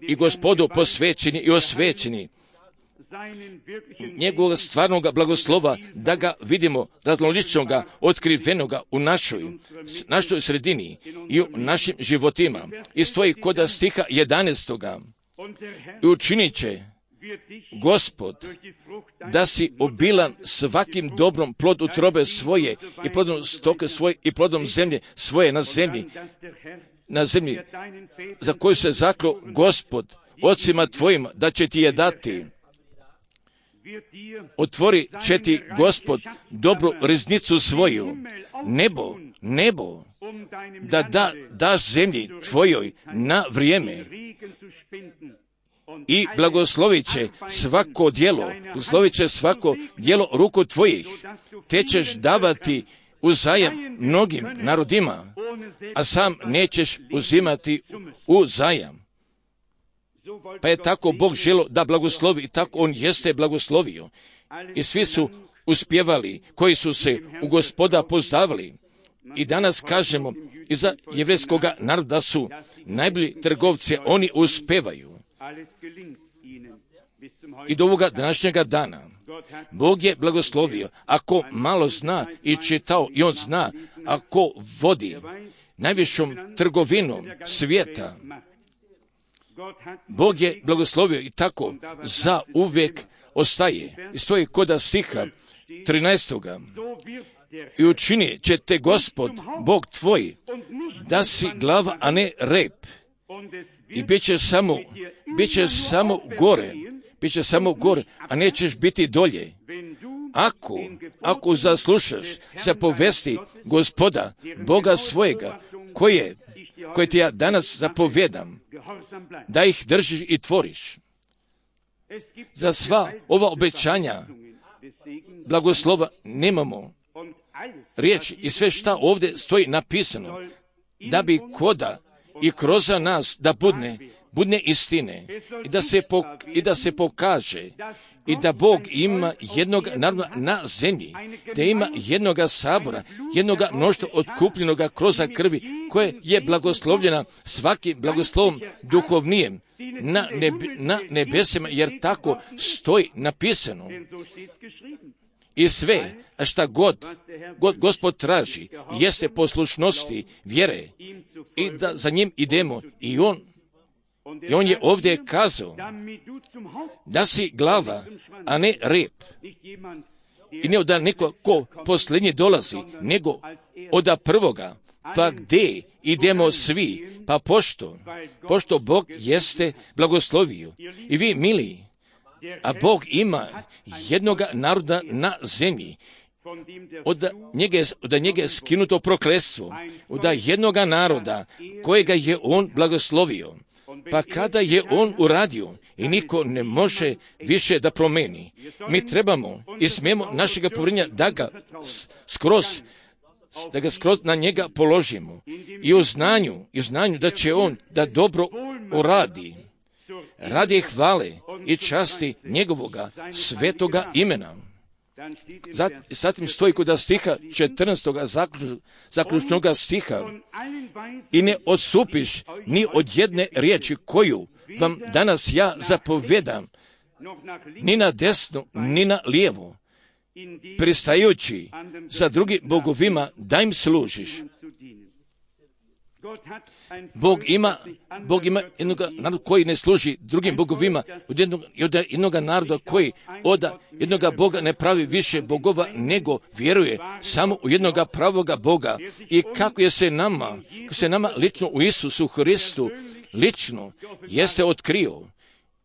i Gospodu posvećeni i osvećeni, njegovog stvarnog blagoslova, da ga vidimo raznoličnoga, otkrivenoga u našoj sredini i u našim životima. I stoji koda stiha 11. I učinit će Gospod da si obilan svakim dobrom plod utrobe svoje i plodom stoke svoje i plodom zemlje svoje na zemlji za koju se zaklo Gospod ocima tvojima da će ti je dati. Otvori će ti Gospod dobru riznicu svoju, nebo, da daš zemlji tvojoj na vrijeme i blagoslovit će svako djelo ruku tvojih, te ćeš davati uzajam mnogim narodima, a sam nećeš uzimati uzajam. Pa je tako Bog želio da blagoslovi i tako On jeste blagoslovio. I svi su uspjevali koji su se u Gospoda poznavali. I danas kažemo i za jevrejskoga naroda su najbolji trgovci, oni uspevaju. I do ovoga današnjega dana Bog je blagoslovio. Ako malo zna i čitao i on zna, ako vodi najvišom trgovinom svijeta, Bog je blagoslovio i tako za uvijek ostaje. I stoji koda stiha 13. I učini će te Gospod, Bog tvoj, da si glava, a ne rep. I bit će samo gore, a nećeš biti dolje. Ako zaslušaš za povesti Gospoda, Boga svojega, koje ti ja danas zapovedam, da ih držiš i tvoriš. Za sva ova obećanja blagoslova nemamo riječi i sve šta ovdje stoji napisano, da bi koda i kroz nas da budne istine i da se pokaže i da Bog ima jednog naroda na zemlji, da ima jednoga sabora, jednoga mnoštva otkupljenoga kroz krvi, koje je blagoslovljena svakim blagoslovom duhovnijem na nebesima, jer tako stoji napisano. I sve, šta god Gospod traži, jeste poslušnosti, vjere i da za njim idemo. I on je ovdje kazao da si glava, a ne rep. I ne da neko ko posljednji dolazi, nego od prvoga. Pa gdje idemo svi? Pa pošto Bog jeste blagoslovio. I vi, mili, a Bog ima jednoga naroda na zemlji, od njega je skinuto prokletstvo, od jednoga naroda kojega je on blagoslovio. Pa kada je on uradio i niko ne može više da promeni, mi trebamo i smijemo našega povjerenja da ga skroz na njega položimo i u znanju da će on da dobro uradi, radi hvale i časti njegovoga svetoga imena. Zatim stoji kod stiha 14. zaključnoga stiha: i ne odstupiš ni od jedne riječi koju vam danas ja zapovedam, ni na desno, ni na lijevo, pristajući za drugim bogovima da im služiš. Bog ima jednog naroda koji ne služi drugim bogovima, od jednog naroda koji od jednoga Boga ne pravi više bogova, nego vjeruje samo u jednoga pravoga Boga. I kako se nama lično u Isusu Hristu lično jeste otkrio.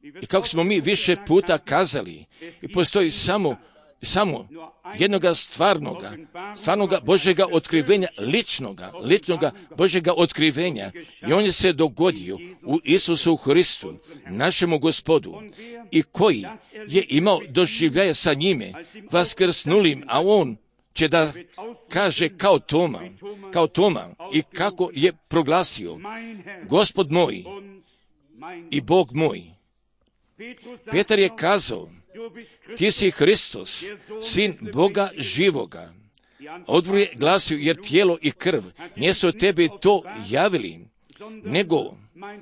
I kako smo mi više puta kazali, i postoji samo jednoga stvarnoga Božjega otkrivenja, ličnoga Božjega otkrivenja. I on je se dogodio u Isusu Hristu, našemu Gospodu, i koji je imao doživljaje sa njime, vaskrsnulim, a on će da kaže kao Toma, i kako je proglasio, Gospod moj i Bog moj. Petar je kazao, ti si Hristos, sin Boga živoga. Odgovor je glasio, jer tijelo i krv nisu tebi to javili,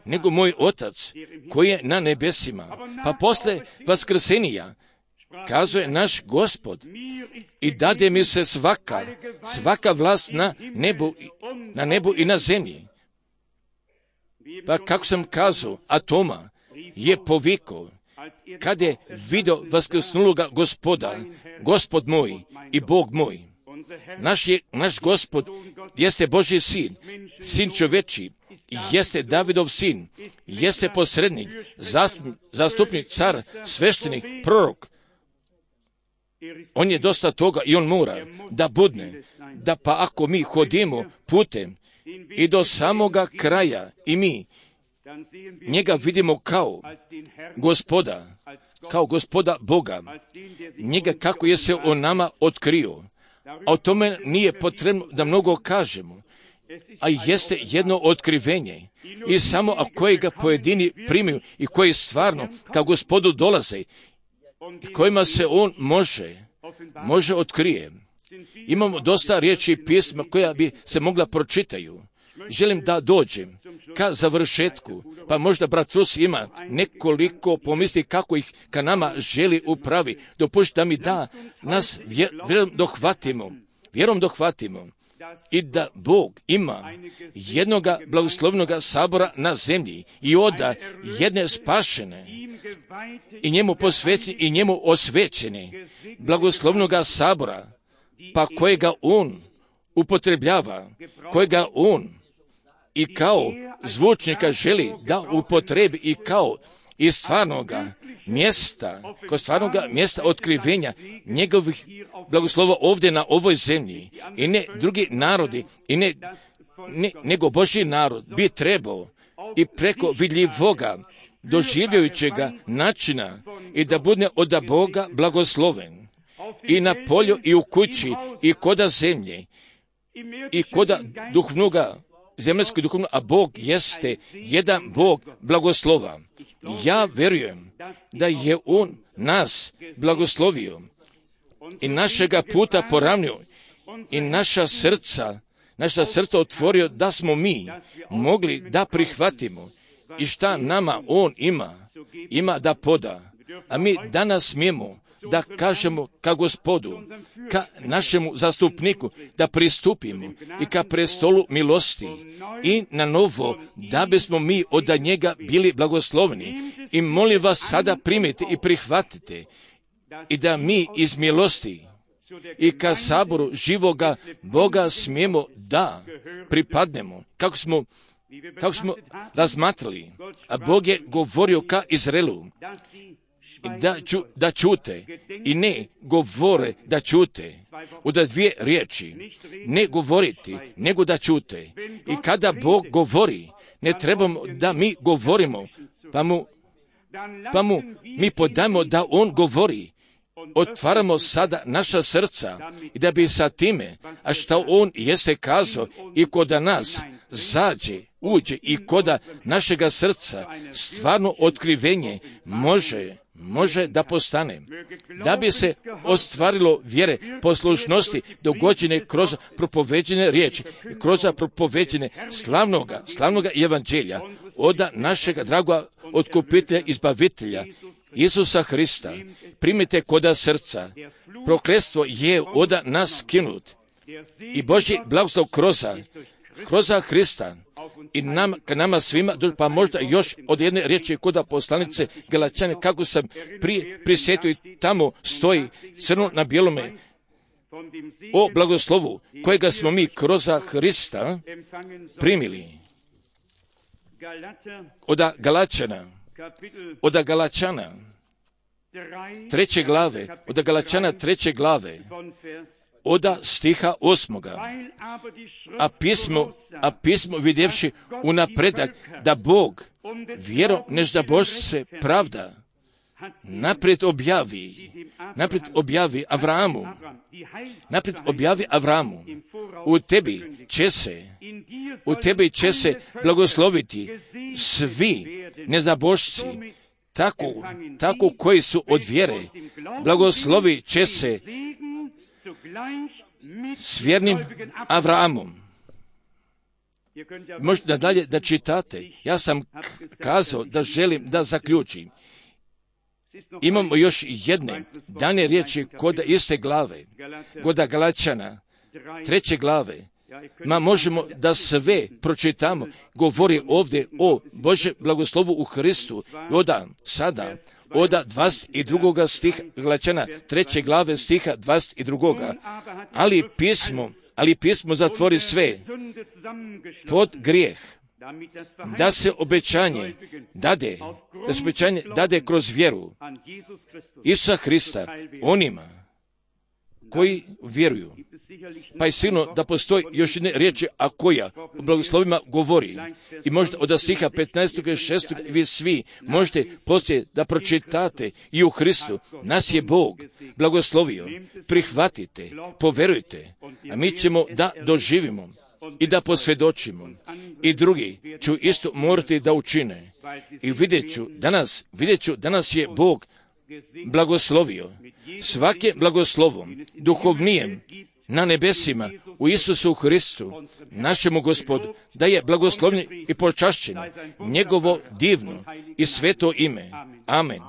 nego moj Otac koji je na nebesima. Pa posle vaskrsenija kazuje naš Gospod, i dade mi se svaka vlast na nebu i na zemlji. Pa kako sam kazao, a Toma je povikao, kad je vidio vaskrsnuloga Gospoda, Gospod moj i Bog moj. Naš Gospod jeste Božji sin čovečiji, jeste Davidov sin, jeste posrednik, zastupnik, car, sveštenik, prorok. On je dosta toga i on mora da budne, da pa ako mi hodimo putem i do samoga kraja i mi njega vidimo kao Gospoda Boga, njega kako je se on nama otkrio. A o tome nije potrebno da mnogo kažemo, a jeste jedno otkrivenje. I samo ako ga pojedini primiju i koji stvarno kao Gospodu dolaze i kojima se on može otkrije. Imamo dosta riječi i pisma koja bi se mogla pročitaju. Želim da dođem ka završetku, pa možda brat Rus ima nekoliko pomisli kako ih ka nama želi upravi. Dopušti da mi da nas vjerom dohvatimo i da Bog ima jednoga blagoslovnoga sabora na zemlji i oda jedne spašene i njemu posvećene i njemu osvećene blagoslovnoga sabora, pa kojega on upotrebljava, kojega on i kao zvučnika želi da upotrebi i kao iz stvarnoga mjesta otkrivenja njegovih blagoslova ovdje na ovoj zemlji. I ne drugi narodi, i nego Božji narod bi trebao i preko vidljivoga, doživljajućega načina i da bude od Boga blagosloven. I na polju, i u kući, i koda zemlje, i koda duhovnoga, zemaljskog duhovnog, a Bog jeste jedan Bog blagoslova. Ja vjerujem da je On nas blagoslovio i našega puta poravnio i naša srca otvorio da smo mi mogli da prihvatimo i šta nama On ima da poda. A mi danas smijemo da kažemo ka Gospodu, ka našemu zastupniku, da pristupimo i ka prestolu milosti i na novo, da bismo mi od njega bili blagoslovni. I molim vas sada primite i prihvatite i da mi iz milosti i ka saboru živoga Boga smijemo da pripadnemo. Kako smo razmatrali, a Bog je govorio ka Izraelu, da čute i ne govore da čute. Od dvije riječi, ne govoriti, nego da čute. I kada Bog govori, ne trebamo da mi govorimo, pa mu mi podajemo da On govori. Otvaramo sada naša srca i da bi sa time, a što On jeste kazao i koda nas uđe i koda našega srca stvarno otkrivenje može da postane. Da bi se ostvarilo vjere, poslušnosti dogođene kroz propoveđene riječi, kroz propoveđene slavnoga evanđelja od našega dragoga otkupitelja, izbavitelja, Isusa Hrista. Primite koda srca. Prokletstvo je od nas skinut. I Božji blagoslov kroz Hrista i k nama svima, pa možda još od jedne riječi kod poslanice Galačane, kako sam prisjetio i tamo stoji crno na bijelome o blagoslovu kojega smo mi kroz Hrista primili od Galačana 3. glave, od Galačana 3. glave, od stiha 8. A pismo vidjevši unapredak da Bog vjerom neždabošce pravda naprijed objavi Avramu, u tebi će se blagosloviti svi nezabošci, tako koji su od vjere, blagoslovi će se s vjernim Avramom. Možete nadalje da čitate. Ja sam kazao da želim da zaključim. Imamo još jedne dane riječi kod iste glave, kod Galačana 3. glave. Možemo da sve pročitamo, govori ovdje o Božjem blagoslovu u Hristu. Od 22. stiha Galačana 3. glave stiha 22. Ali pismo zatvori sve pod grijeh, da se obećanje dade kroz vjeru Isusa Hrista onima koji vjeruju. Pa je sigurno da postoji još jedne riječi, a koja o blagoslovima govori. I možda od stiha 15. i 16. vi svi možete poslije da pročitate i u Hristu. Nas je Bog blagoslovio. Prihvatite, poverujte, a mi ćemo da doživimo i da posvjedočimo. I drugi ću isto morati da učine. I vidjet ću danas je Bog blagoslovio svake blagoslovom duhovnijem na nebesima u Isusu Hristu, našemu Gospodu, da je blagoslovljen i počašćen njegovo divno i sveto ime. Amen.